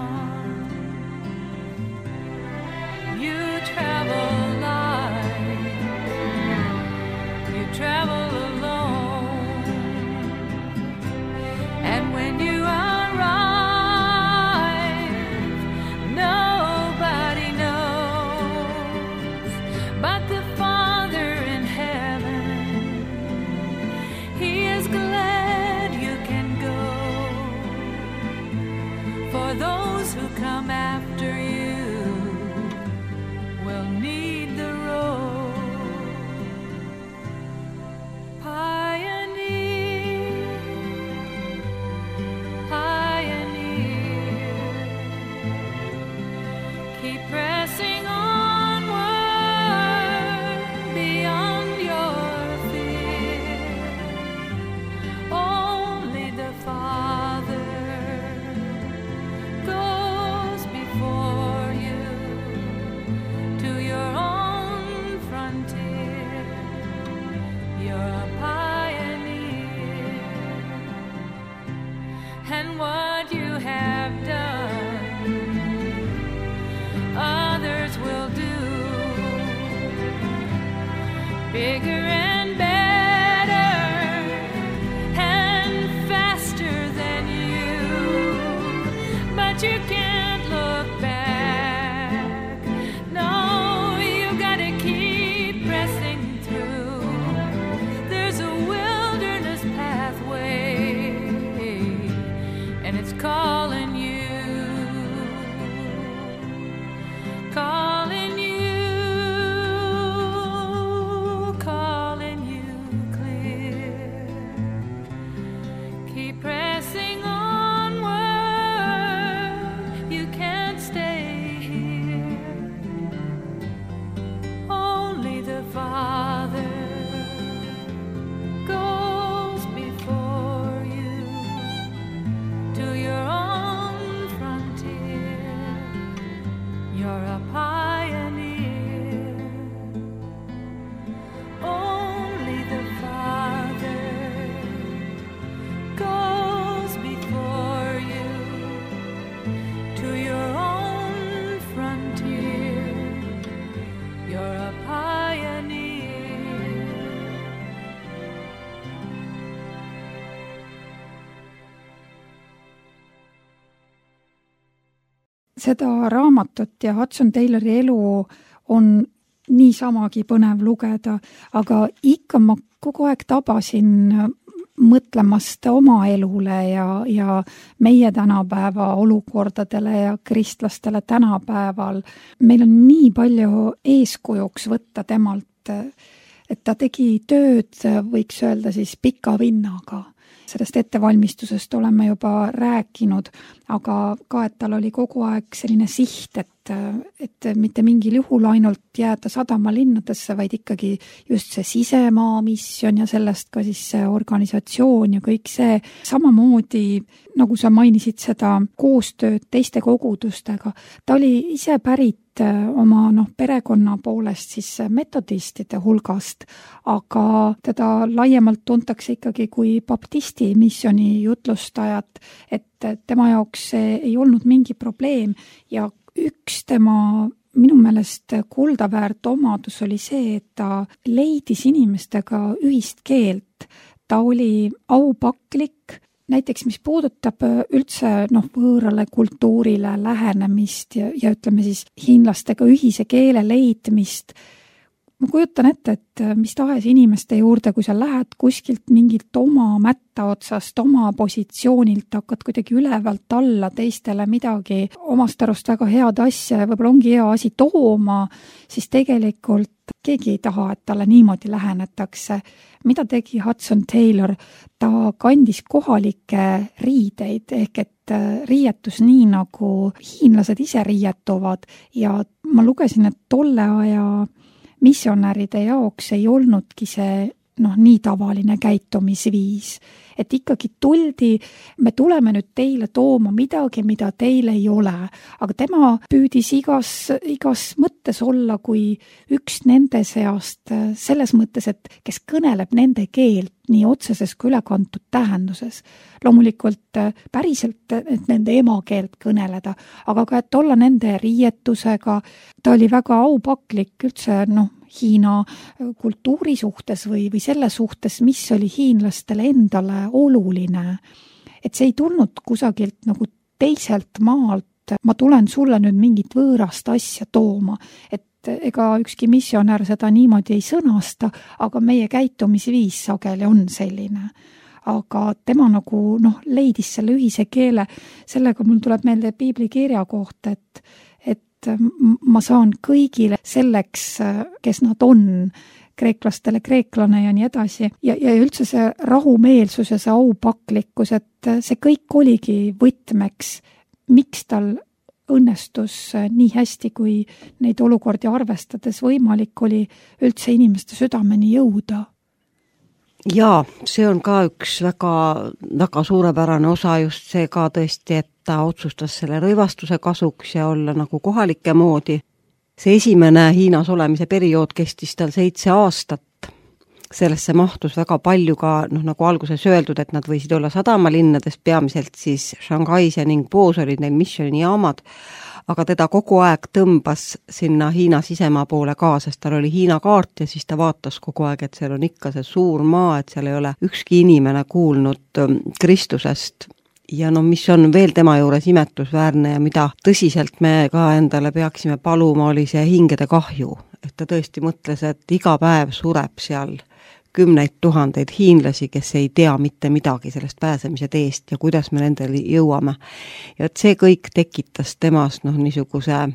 You travel light, you travel alone, and when you arrive, nobody knows but the Father in heaven. He is glad you can go. For those who come after you will need the road. Pioneer, pioneer, keep pressing onward beyond your fear. Only the Father goes before you to your own frontier. You're a pioneer. bigger and better and faster than you, but you can't look back. No, you gotta keep pressing through. There's a wilderness pathway, and it's calling you, calling you, calling you clear. Keep pressing onward, you can't stay here. Only the Father goes before you to your own frontier. You're a pioneer. Only the Father goes before you to your own frontier. You're a pioneer.
Seda raamatut ja Hudson Taylori elu on niisamagi põnev lugeda, aga ikka ma kogu aeg tabasin mõtlemast oma elule ja meie tänapäeva olukordadele ja kristlastele tänapäeval. Meil on nii palju eeskujuks võtta temalt, et ta tegi tööd, võiks öelda siis pika vinnaga. Sellest ettevalmistusest oleme juba rääkinud, aga ka, et tal oli kogu aeg selline siht, et mitte mingil juhul ainult jääda sadamalinnadesse, vaid ikkagi just see sisemaa missioon ja sellest ka siis see organisatsioon ja kõik see. Samamoodi, nagu sa mainisid seda koostööd teiste kogudustega, ta oli ise pärit oma perekonna poolest siis metodistide hulgast, aga teda laiemalt tuntakse ikkagi kui baptisti missiooni jutlustajat, et tema jaoks see ei olnud mingi probleem ja üks tema minu meelest kuldaväärt omadus oli see, et ta leidis inimestega ühist keelt. Ta oli aupaklik, näiteks mis puudutab üldse võõrale kultuurile lähenemist ja ütleme siis hiinlastega ühise keele leidmist. Ma kujutan ette, et mis tahes inimeste juurde, kui sa lähed kuskilt mingilt oma mätta otsast, oma positsioonilt, hakkad kuidagi ülevalt alla teistele midagi omast arust väga head asja ja võib-olla ongi hea asi tooma, siis tegelikult keegi ei taha, et talle niimoodi lähenetakse. Mida tegi Hudson Taylor? Ta kandis kohalikke riideid ehk et riietus nii nagu hiinlased ise riietuvad ja ma lugesin, et tolle aja missionäride jaoks ei olnudki see nii tavaline käitumisviis. Et ikkagi tuldi, me tuleme nüüd teile tooma midagi, mida teil ei ole. Aga tema püüdis igas mõttes olla kui üks nende seast, selles mõttes, et kes kõneleb nende keelt nii otseses kui ülekantud tähenduses. Loomulikult päriselt et nende emakeelt kõneleda, aga ka et olla nende riietusega. Ta oli väga aupaklik üldse Hiina kultuuri suhtes või selle suhtes, mis oli hiinlastele endale oluline. Et see ei tulnud kusagilt nagu teiselt maalt, ma tulen sulle nüüd mingit võõrast asja tooma, et ega ükski missionär seda niimoodi ei sõnasta, aga meie käitumisviis sageli on selline. Aga tema nagu leidis selle ühise keele, sellega mul tuleb meelde piiblikirja kohta, et ma saan kõigile selleks, kes nad on, kreeklastele kreeklane ja nii edasi. Ja üldse see rahumeelsus ja see aupaklikkus, et see kõik oligi võtmeks, miks tal õnnestus nii hästi, kui neid olukordi arvestades võimalik oli üldse inimeste südameni jõuda.
Jaa, see on ka üks väga suurepärane osa just see ka tõesti, et ta otsustas selle rõivastuse kasuks ja olla nagu kohalike moodi. See esimene Hiinas olemise periood kestis tal 7 aastat. Sellesse mahtus väga palju ka, nagu alguses öeldud, et nad võisid olla sadamalinnades, peamiselt siis Shanghais ja Ningbo's olid neil missioonijaamad. aga teda kogu aeg tõmbas sinna Hiina sisemaa poole ka, sest tal oli Hiina kaart ja siis ta vaatas kogu aeg, et seal on ikka see suur maa, et seal ei ole ükski inimene kuulnud Kristusest. Ja no mis on veel tema juures imetlusväärne ja mida tõsiselt me ka endale peaksime paluma, oli see hingede kahju. Et ta tõesti mõtles, et iga päev sureb seal 10 000 hiinlasi, kes ei tea mitte midagi sellest pääsemise teest ja kuidas me nendele jõuame. Ja et see kõik tekitas temas niisuguse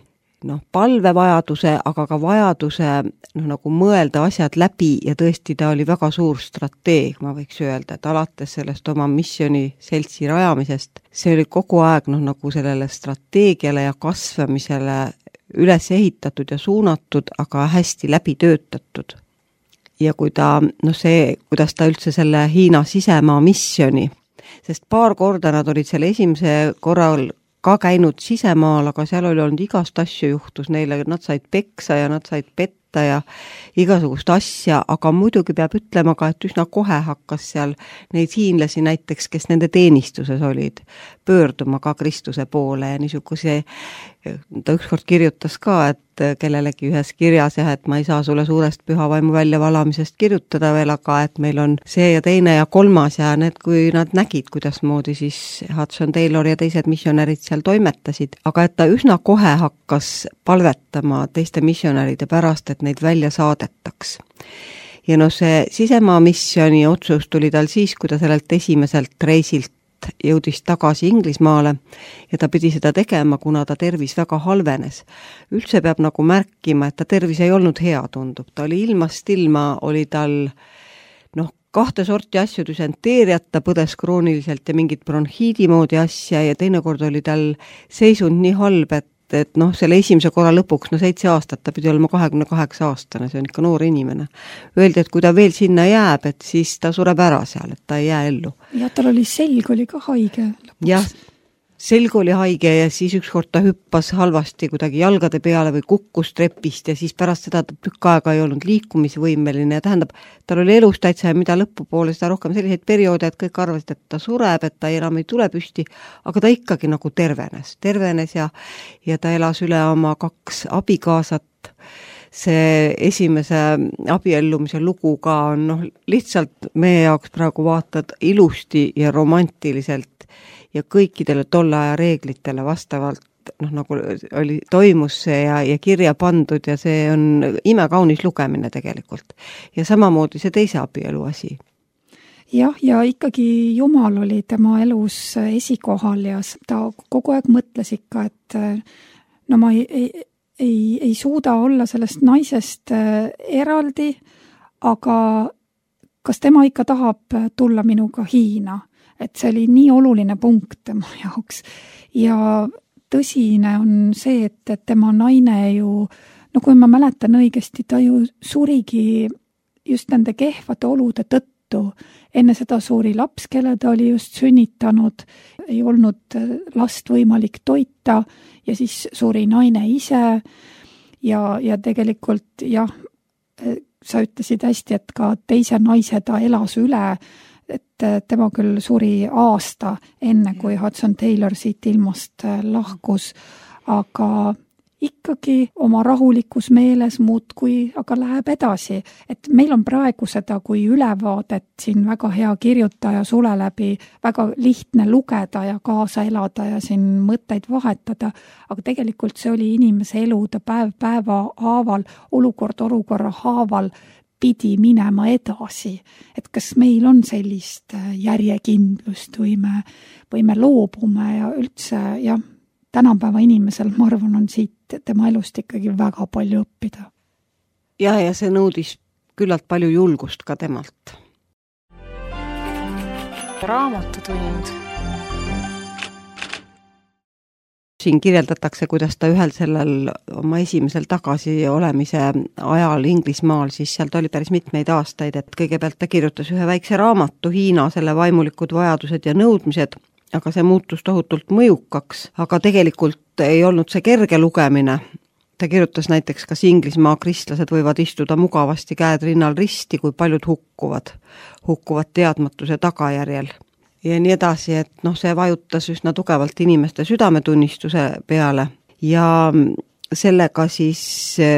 palvevajaduse, aga ka vajaduse nagu mõelda asjad läbi ja tõesti ta oli väga suur strateeg, ma võiks öelda, et alates sellest oma missiooniseltsi rajamisest, see oli kogu aeg nagu sellele strateegiale ja kasvamisele üles ehitatud ja suunatud, aga hästi läbi töötatud. Ja kui ta, kuidas ta üldse selle Hiina sisemaa missioni, sest paar korda nad olid selle esimese korral ka käinud sisemaal, aga seal oli olnud igast asju juhtus neile, nad said peksa ja nad said petta ja igasugust asja, aga muidugi peab ütlema ka, et üsna kohe hakkas seal neid hiinlasi näiteks, kes nende teenistuses olid, pöörduma ka Kristuse poole ja niisuguse, ta ükskord kirjutas ka, et kellelegi ühes kirjas et ma ei saa sulle suurest pühavaimu väljavalamisest kirjutada veel, aga et meil on see ja teine ja kolmas ja need, kui nad nägid, kuidas moodi siis Hudson Taylor ja teised missionärid seal toimetasid, aga et ta üsna kohe hakkas palvetama teiste missionäride pärast, et neid välja saadetaks. Ja see sisemaa missioni otsus tuli tal siis, kui ta sellelt esimeselt reisilt jõudis tagasi Inglismaale ja ta pidi seda tegema, kuna ta tervis väga halvenes. Üldse peab märkima, et ta tervis ei olnud hea, tundub. Ta oli ilmast ilma, oli tal 2 sorti asju, düsenteeriat, ta põdes krooniliselt ja mingit bronhiidi moodi asja ja teinekord oli tal seisund nii halb, et selle esimese korra lõpuks, 7 aastat, ta pidi olema 28-aastane, see on ikka noor inimene. Öeldi, et kui ta veel sinna jääb, et siis ta sureb ära seal, et ta ei jää ellu.
Ja tal oli selg oli ka haige lõpuks.
Jah, selg oli haige ja siis ükskord ta hüppas halvasti kuidagi jalgade peale või kukkus trepist ja siis pärast seda tükk aega ei olnud liikumisvõimeline ja tähendab, tal oli elus täitsa ja mida lõpupoole seda rohkem selliseid perioode, et kõik arvasid, et ta sureb, et ta enam ei tule püsti, aga ta ikkagi tervenes ja ta elas üle oma 2 abikaasat. See esimese abiellumise lugu ka on lihtsalt meie jaoks praegu vaatad ilusti ja romantiliselt ja kõikidele tolle aja reeglitele vastavalt nagu toimus see ja kirja pandud ja see on imekaunis lugemine tegelikult. Ja samamoodi see teise abielu asi.
Jah, ja ikkagi Jumal oli tema elus esikohal ja ta kogu aeg mõtles ikka, et ma ei suuda olla sellest naisest eraldi, aga kas tema ikka tahab tulla minuga Hiina? Et see oli nii oluline punkt tema jaoks. Ja tõsine on see, et tema naine ju, kui ma mäletan õigesti, ta ju surigi just nende kehvade olude tõttu. Enne seda suri laps, kelle ta oli just sünnitanud, ei olnud last võimalik toita ja siis suri naine ise ja tegelikult jah, sa ütlesid hästi, et ka teise naise ta elas üle, et tema küll suri aasta enne, kui Hudson Taylor siit ilmast lahkus, aga ikkagi oma rahulikus meeles muudkui, aga läheb edasi. Et meil on praegu seda kui ülevaadet siin väga hea kirjutaja sule läbi, väga lihtne lugeda ja kaasa elada ja siin mõtteid vahetada, aga tegelikult see oli inimese elu, ta päeva haaval, olukorra haaval pidi minema edasi. Et kas meil on sellist järjekindlust või me loobume ja üldse, jah, tänapäeva inimesel, ma arvan, on siit tema elust ikkagi väga palju õppida.
Ja see nõudis küllalt palju julgust ka temalt.
Raamatutund.
Siin kirjeldatakse, kuidas ta ühel sellel oma esimesel tagasi olemise ajal Inglismaal, siis sealt oli päris mitmeid aastaid, et kõigepealt ta kirjutas ühe väikse raamatu Hiina, selle vaimulikud vajadused ja nõudmised, aga see muutus tohutult mõjukaks, aga tegelikult ei olnud see kerge lugemine. Ta kirjutas näiteks, kas Inglismaa kristlased võivad istuda mugavasti käed rinnal risti, kui paljud hukkuvad teadmatuse tagajärjel. Ja nii edasi, et see vajutas üsna tugevalt inimeste südametunnistuse peale. ja sellega siis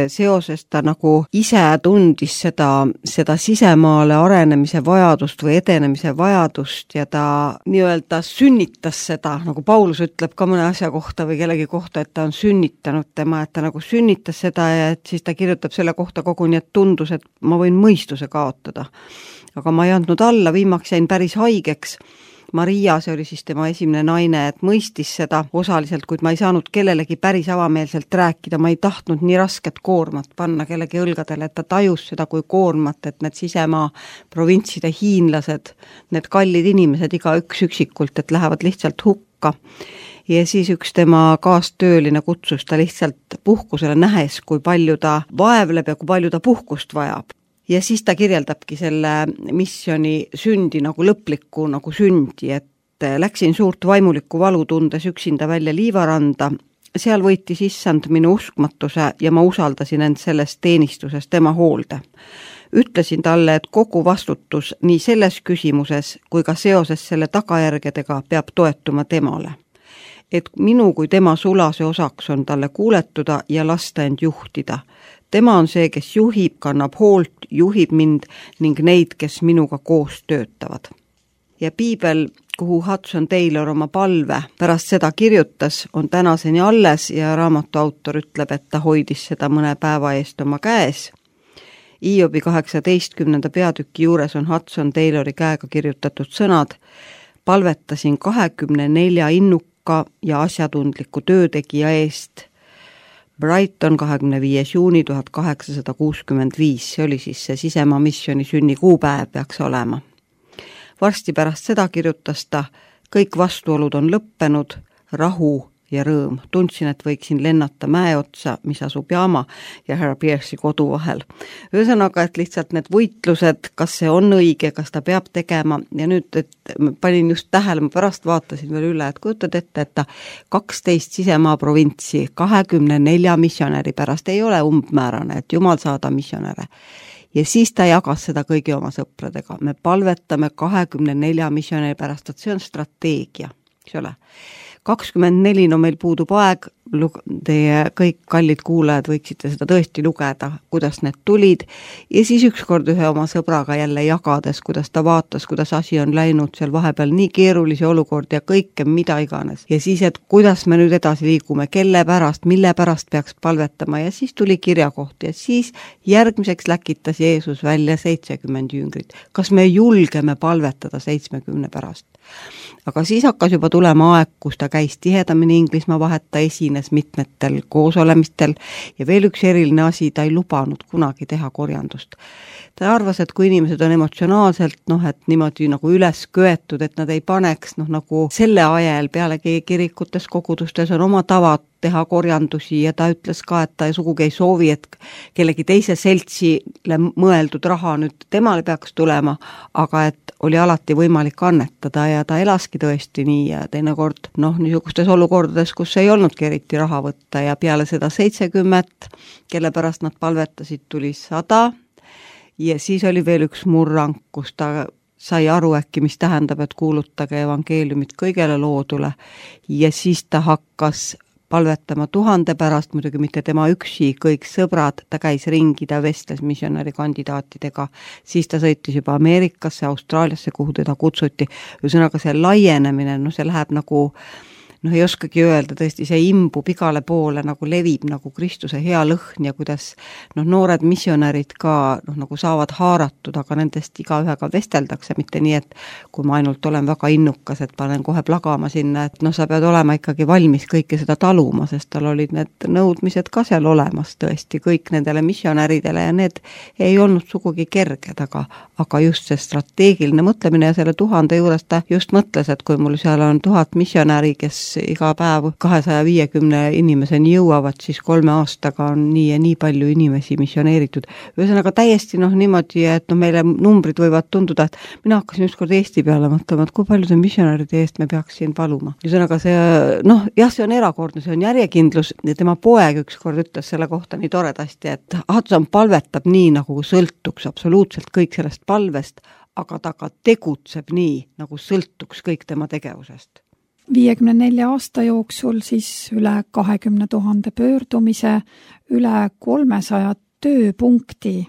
seoses ta nagu ise tundis seda sisemaale arenemise vajadust või edenemise vajadust ja ta nii-öelda sünnitas seda, nagu Paulus ütleb ka mõne asja kohta või kellegi kohta, et ta on sünnitanud tema, et ta nagu sünnitas seda ja et siis ta kirjutab selle kohta koguni, et tundus, et ma võin mõistuse kaotada. Aga ma ei andnud alla, viimaks jäin päris haigeks. Maria, see oli siis tema esimene naine, et mõistis seda osaliselt, kuid ma ei saanud kellelegi päris avameelselt rääkida, ma ei tahtnud nii rasket koormat panna kellegi õlgadele, et ta tajus seda kui koormat, et need sisemaa provintside hiinlased, need kallid inimesed iga üksikult, et lähevad lihtsalt hukka. Ja siis üks tema kaastööline kutsus ta lihtsalt puhkusele nähes, kui palju ta vaevleb ja kui palju ta puhkust vajab. Ja siis ta kirjeldabki selle missiooni sündi nagu lõplikku nagu sündi, et läksin suurt vaimulikku valu tundes üksinda välja Liivaranda. Seal võitis issand minu uskmatuse ja ma usaldasin end selles teenistuses tema hoolde. Ütlesin talle, et kogu vastutus nii selles küsimuses kui ka seoses selle tagajärgedega peab toetuma temale. Et minu kui tema sulase osaks on talle kuuletuda ja lasta end juhtida. Tema on see, kes juhib, kannab hoolt, juhib mind ning neid, kes minuga koos töötavad. Ja piibel, kuhu Hudson Taylor oma palve pärast seda kirjutas, on tänaseni alles ja raamatu autor ütleb, et ta hoidis seda mõne päeva eest oma käes. Iobi 18. peatüki juures on Hudson Taylori käega kirjutatud sõnad: palvetasin 24 innuka ja asjatundliku töötegija eest. Brighton 25. juuni 1865, see oli siis see sisemaa missiooni sünnikuupäev peaks olema. Varsti pärast seda kirjutas ta: kõik vastuolud on lõppenud, rahu ja rõõm. Tundsin, et võiksin lennata mäe otsa, mis asub Jaama ja härra Pierce'i kodu vahel. Ühesõnaga, et lihtsalt need võitlused, kas see on õige, kas ta peab tegema ja nüüd, et panin just tähele, ma pärast vaatasin veel üle, et kujutad ette, et ta 12 sisemaa provintsi 24 missionäri pärast ei ole umbmäärane, et jumal saada missionäre. Ja siis ta jagas seda kõigi oma sõpradega. Me palvetame 24 missionäri pärast, et see on strateegia, eks ole. 24, no meil puudub aeg, teie kõik kallid kuulajad võiksite seda tõesti lugeda, kuidas need tulid ja siis ükskord ühe oma sõbraga jälle jagades, kuidas ta vaatas, kuidas asi on läinud seal vahepeal nii keerulisi olukordi ja kõike, mida iganes. Ja siis, et kuidas me nüüd edasi liigume, kelle pärast, mille pärast peaks palvetama ja siis tuli kirjakoht ja siis järgmiseks läkitas Jeesus välja 70 jüngrit. Kas me julgeme palvetada 70 pärast? Aga siis hakkas juba tulema aeg, kus ta käis tihedamini Inglismaa vahet, ta esines mitmetel koosolemistel ja veel üks eriline asi, ta ei lubanud kunagi teha korjandust. Ta arvas, et kui inimesed on emotsionaalselt, et niimoodi nagu üles köetud, et nad ei paneks, nagu selle ajal pealegi kirikutes, kogudustes on oma tavad teha korjandusi ja ta ütles ka, et ta sugugi ei soovi, et kellegi teise seltsile mõeldud raha nüüd temale peaks tulema, aga et oli alati võimalik annetada ja ta elaski tõesti nii ja teinekord niisugustes olukordades, kus ei olnudki eriti raha võtta ja peale seda 70, kelle pärast nad palvetasid, tuli 100 ja siis oli veel üks murrang, kus ta sai aru äkki, mis tähendab, et kuulutage evangeeliumit kõigele loodule ja siis ta hakkas palvetama 1000 pärast, muidugi mitte tema üksi, kõik sõbrad, ta käis ringi, ta vestles missionäri kandidaatidega, siis ta sõitis juba Ameerikasse, Austraaliasse, kuhu teda kutsuti. Ühesõnaga see laienemine, see läheb nagu, ei oskagi öelda, tõesti see imbub igale poole, nagu levib nagu Kristuse hea lõhn ja kuidas noored missionärid ka nagu saavad haaratud, aga nendest igaühega vesteldakse, mitte nii, et kui ma ainult olen väga innukas, et panen kohe plagama sinna, et sa pead olema ikkagi valmis kõike seda taluma, sest tal olid need nõudmised ka seal olemas tõesti kõik nendele missionäridele ja need ei olnud sugugi kerged, aga just see strateegiline mõtlemine ja selle 1000 juures ta just mõtles, et kui mul seal on 1000 missionäri, kes iga päev 250 inimeseni jõuavad, siis 3 aastaga on nii ja nii palju inimesi missioneeritud. Ühesõnaga täiesti niimoodi, et meile numbrid võivad tunduda, et mina hakkasin ükskord Eesti peale mõtlema, et kui paljude missionäride eest me peaks siin paluma. Ühesõnaga see, see on erakordne, see on järjekindlus ja tema poeg ükskord ütles selle kohta nii toredasti, et Hudson palvetab nii, nagu sõltuks absoluutselt kõik sellest palvest, aga ta ka tegutseb nii, nagu sõltuks kõik tema tegevusest.
54 aasta jooksul siis üle 20 000 pöördumise, üle 300 tööpunkti.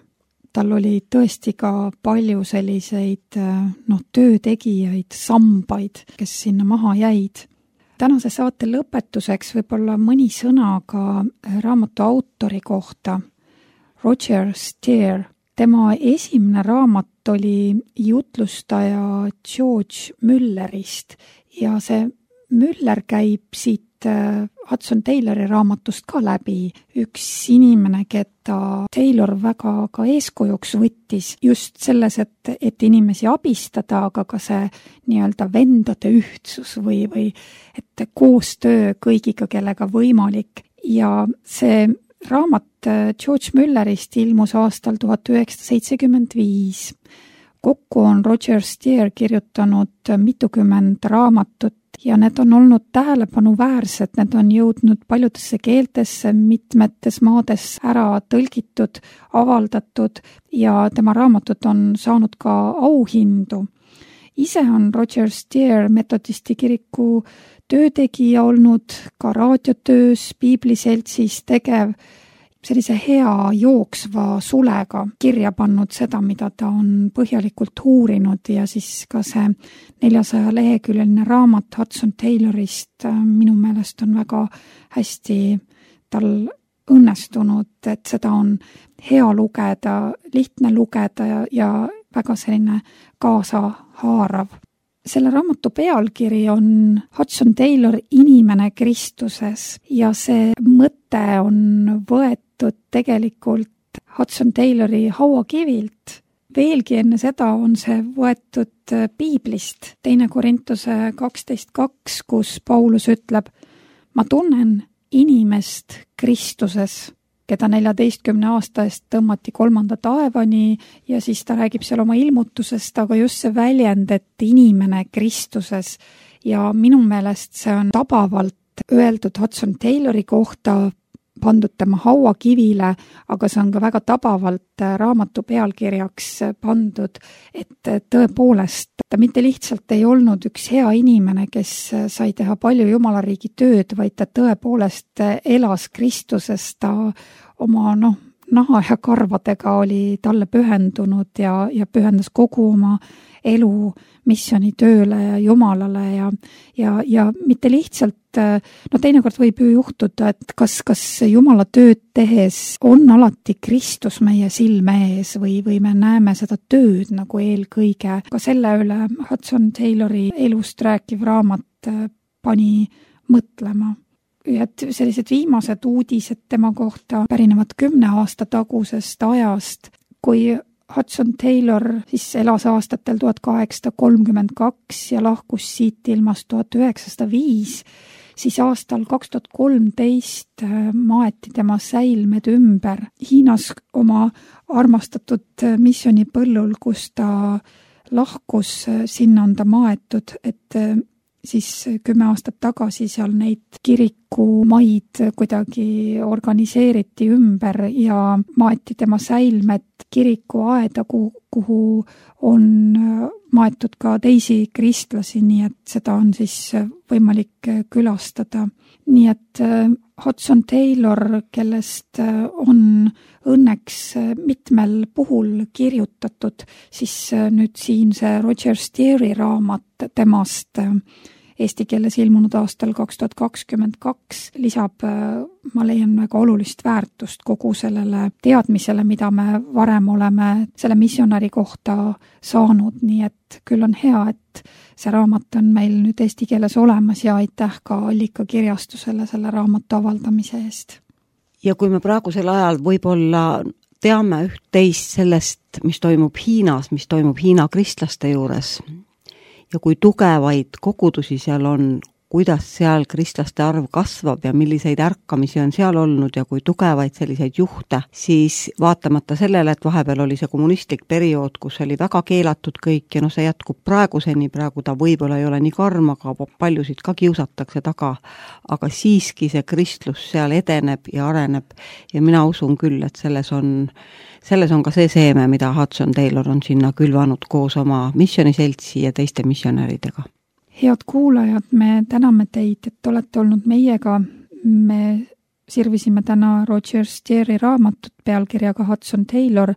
Tal oli tõesti ka palju selliseid töötegijaid, sambaid, kes sinna maha jäid. Tänase saate lõpetuseks võib-olla mõni sõna ka raamatu autori kohta, Roger Steer. Tema esimene raamat oli jutlustaja George Müllerist ja see Müller käib siit Hudson Taylori raamatust ka läbi. Üks inimene, keda Taylor väga ka eeskujuks võttis just selles, et inimesi abistada, aga ka see nii-öelda vendade ühtsus või et koostöö kõigiga, kellega võimalik. Ja see raamat George Müllerist ilmus aastal 1975. Kokku on Roger Steer kirjutanud mitukümmend raamatut ja need on olnud tähelepanuväärsed, need on jõudnud paljudesse keeltesse, mitmetes maades ära tõlgitud, avaldatud ja tema raamatud on saanud ka auhindu. Ise on Roger Steer metodisti kiriku töötegija olnud, ka raadiotöös, piibliseltsis tegev, sellise hea jooksva sulega kirja pannud seda, mida ta on põhjalikult uurinud ja siis ka see 400-leheküljeline raamat Hudson Taylorist minu meelest on väga hästi tal õnnestunud, et seda on hea lugeda, lihtne lugeda ja väga selline kaasahaarav. Selle raamatu pealkiri on Hudson Taylor, inimene Kristuses ja see mõte on võetud tegelikult Hudson Taylori hauakivilt. Veelgi enne seda on see võetud piiblist, 2 Korintuse 12.2, kus Paulus ütleb, ma tunnen inimest Kristuses, keda 14 aasta eest tõmmati 3. taevani ja siis ta räägib seal oma ilmutusest, aga just see väljend, et inimene Kristuses ja minu meelest see on tabavalt öeldud Hudson Taylori kohta, pandud tema hauakivile, aga see on ka väga tabavalt raamatu pealkirjaks pandud, et tõepoolest ta mitte lihtsalt ei olnud üks hea inimene, kes sai teha palju Jumalariigi tööd, vaid ta tõepoolest elas Kristuses, ta oma naha ja karvadega oli talle pühendunud ja pühendas kogu oma elu missioonitööle ja Jumalale ja mitte lihtsalt, teinekord võib ju juhtuda, et kas Jumala tööd tehes on alati Kristus meie silme ees või me näeme seda tööd nagu eelkõige. Ka selle üle Hudson Taylori elust rääkiv raamat pani mõtlema. Et sellised viimased uudised tema kohta pärinevad 10 aasta tagusest ajast, kui Hudson Taylor siis elas aastatel 1832 ja lahkus siit ilmast 1905, siis aastal 2013 maeti tema säilmed ümber Hiinas oma armastatud missioonipõllul, kus ta lahkus, sinna on ta maetud, et siis 10 aastat tagasi seal neid kirikumaid kuidagi organiseeriti ümber ja maeti tema säilmed kirikuaeda, kuhu on maetud ka teisi kristlasi, nii et seda on siis võimalik külastada. Nii et Hudson Taylor, kellest on õnneks mitmel puhul kirjutatud, siis nüüd siin see Roger Steeri raamat temast eesti keeles ilmunud aastal 2022 lisab, ma leian, väga olulist väärtust kogu sellele teadmisele, mida me varem oleme selle missionäri kohta saanud, nii et küll on hea, et see raamat on meil nüüd eesti keeles olemas ja aitäh ka Allikakirjastusele selle raamatu avaldamise eest.
Ja kui me praegusel ajal võib-olla teame üht-teist sellest, mis toimub Hiinas, mis toimub Hiina kristlaste juures, ja kui tugevaid kogudusi seal on, kuidas seal kristlaste arv kasvab ja milliseid ärkamisi on seal olnud ja kui tugevaid selliseid juhte, siis vaatamata sellele, et vahepeal oli see kommunistlik periood, kus oli väga keelatud kõik ja see jätkub praeguseni, praegu ta võib-olla ei ole nii karm, aga paljusid ka kiusatakse taga, aga siiski see kristlus seal edeneb ja areneb ja mina usun küll, et selles on ka see seeme, mida Hudson Taylor on sinna külvanud koos oma missiooniseltsi ja teiste missionäridega.
head kuulajad, me täname teid, et olete olnud meiega. Me sirvisime täna Roger Steeri raamatut pealkirjaga Hudson Taylor,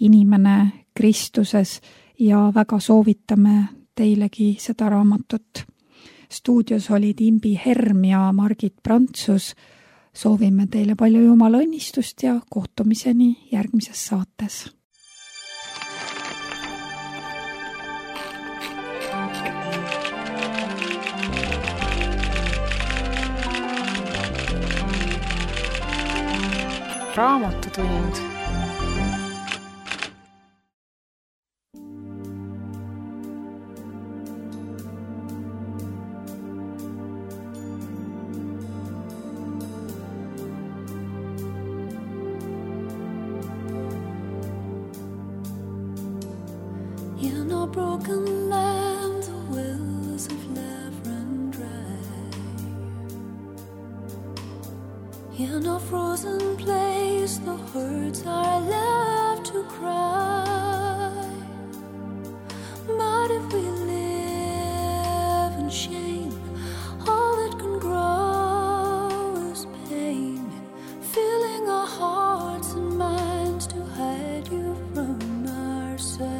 Inimene Kristuses, ja väga soovitame teilegi seda raamatut. Stuudios olid Imbi Herm ja Margit Prantsus. Soovime teile palju Jumala õnnistust ja kohtumiseni järgmises saates.
Raamatutund.
In a broken land, the wells of love run dry. In a frozen place, the herds are left to cry. But if we live in shame, all that can grow is pain, filling our hearts and minds to hide you from ourselves.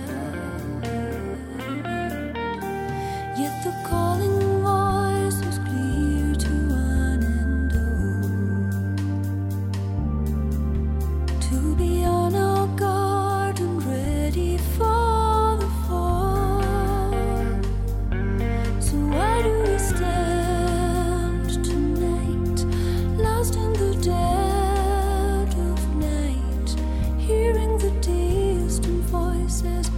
Yet the calling voice is clear to one and all, to be on our guard and ready for the fall. So why do we stand tonight, lost in the dead of night, hearing the distant voices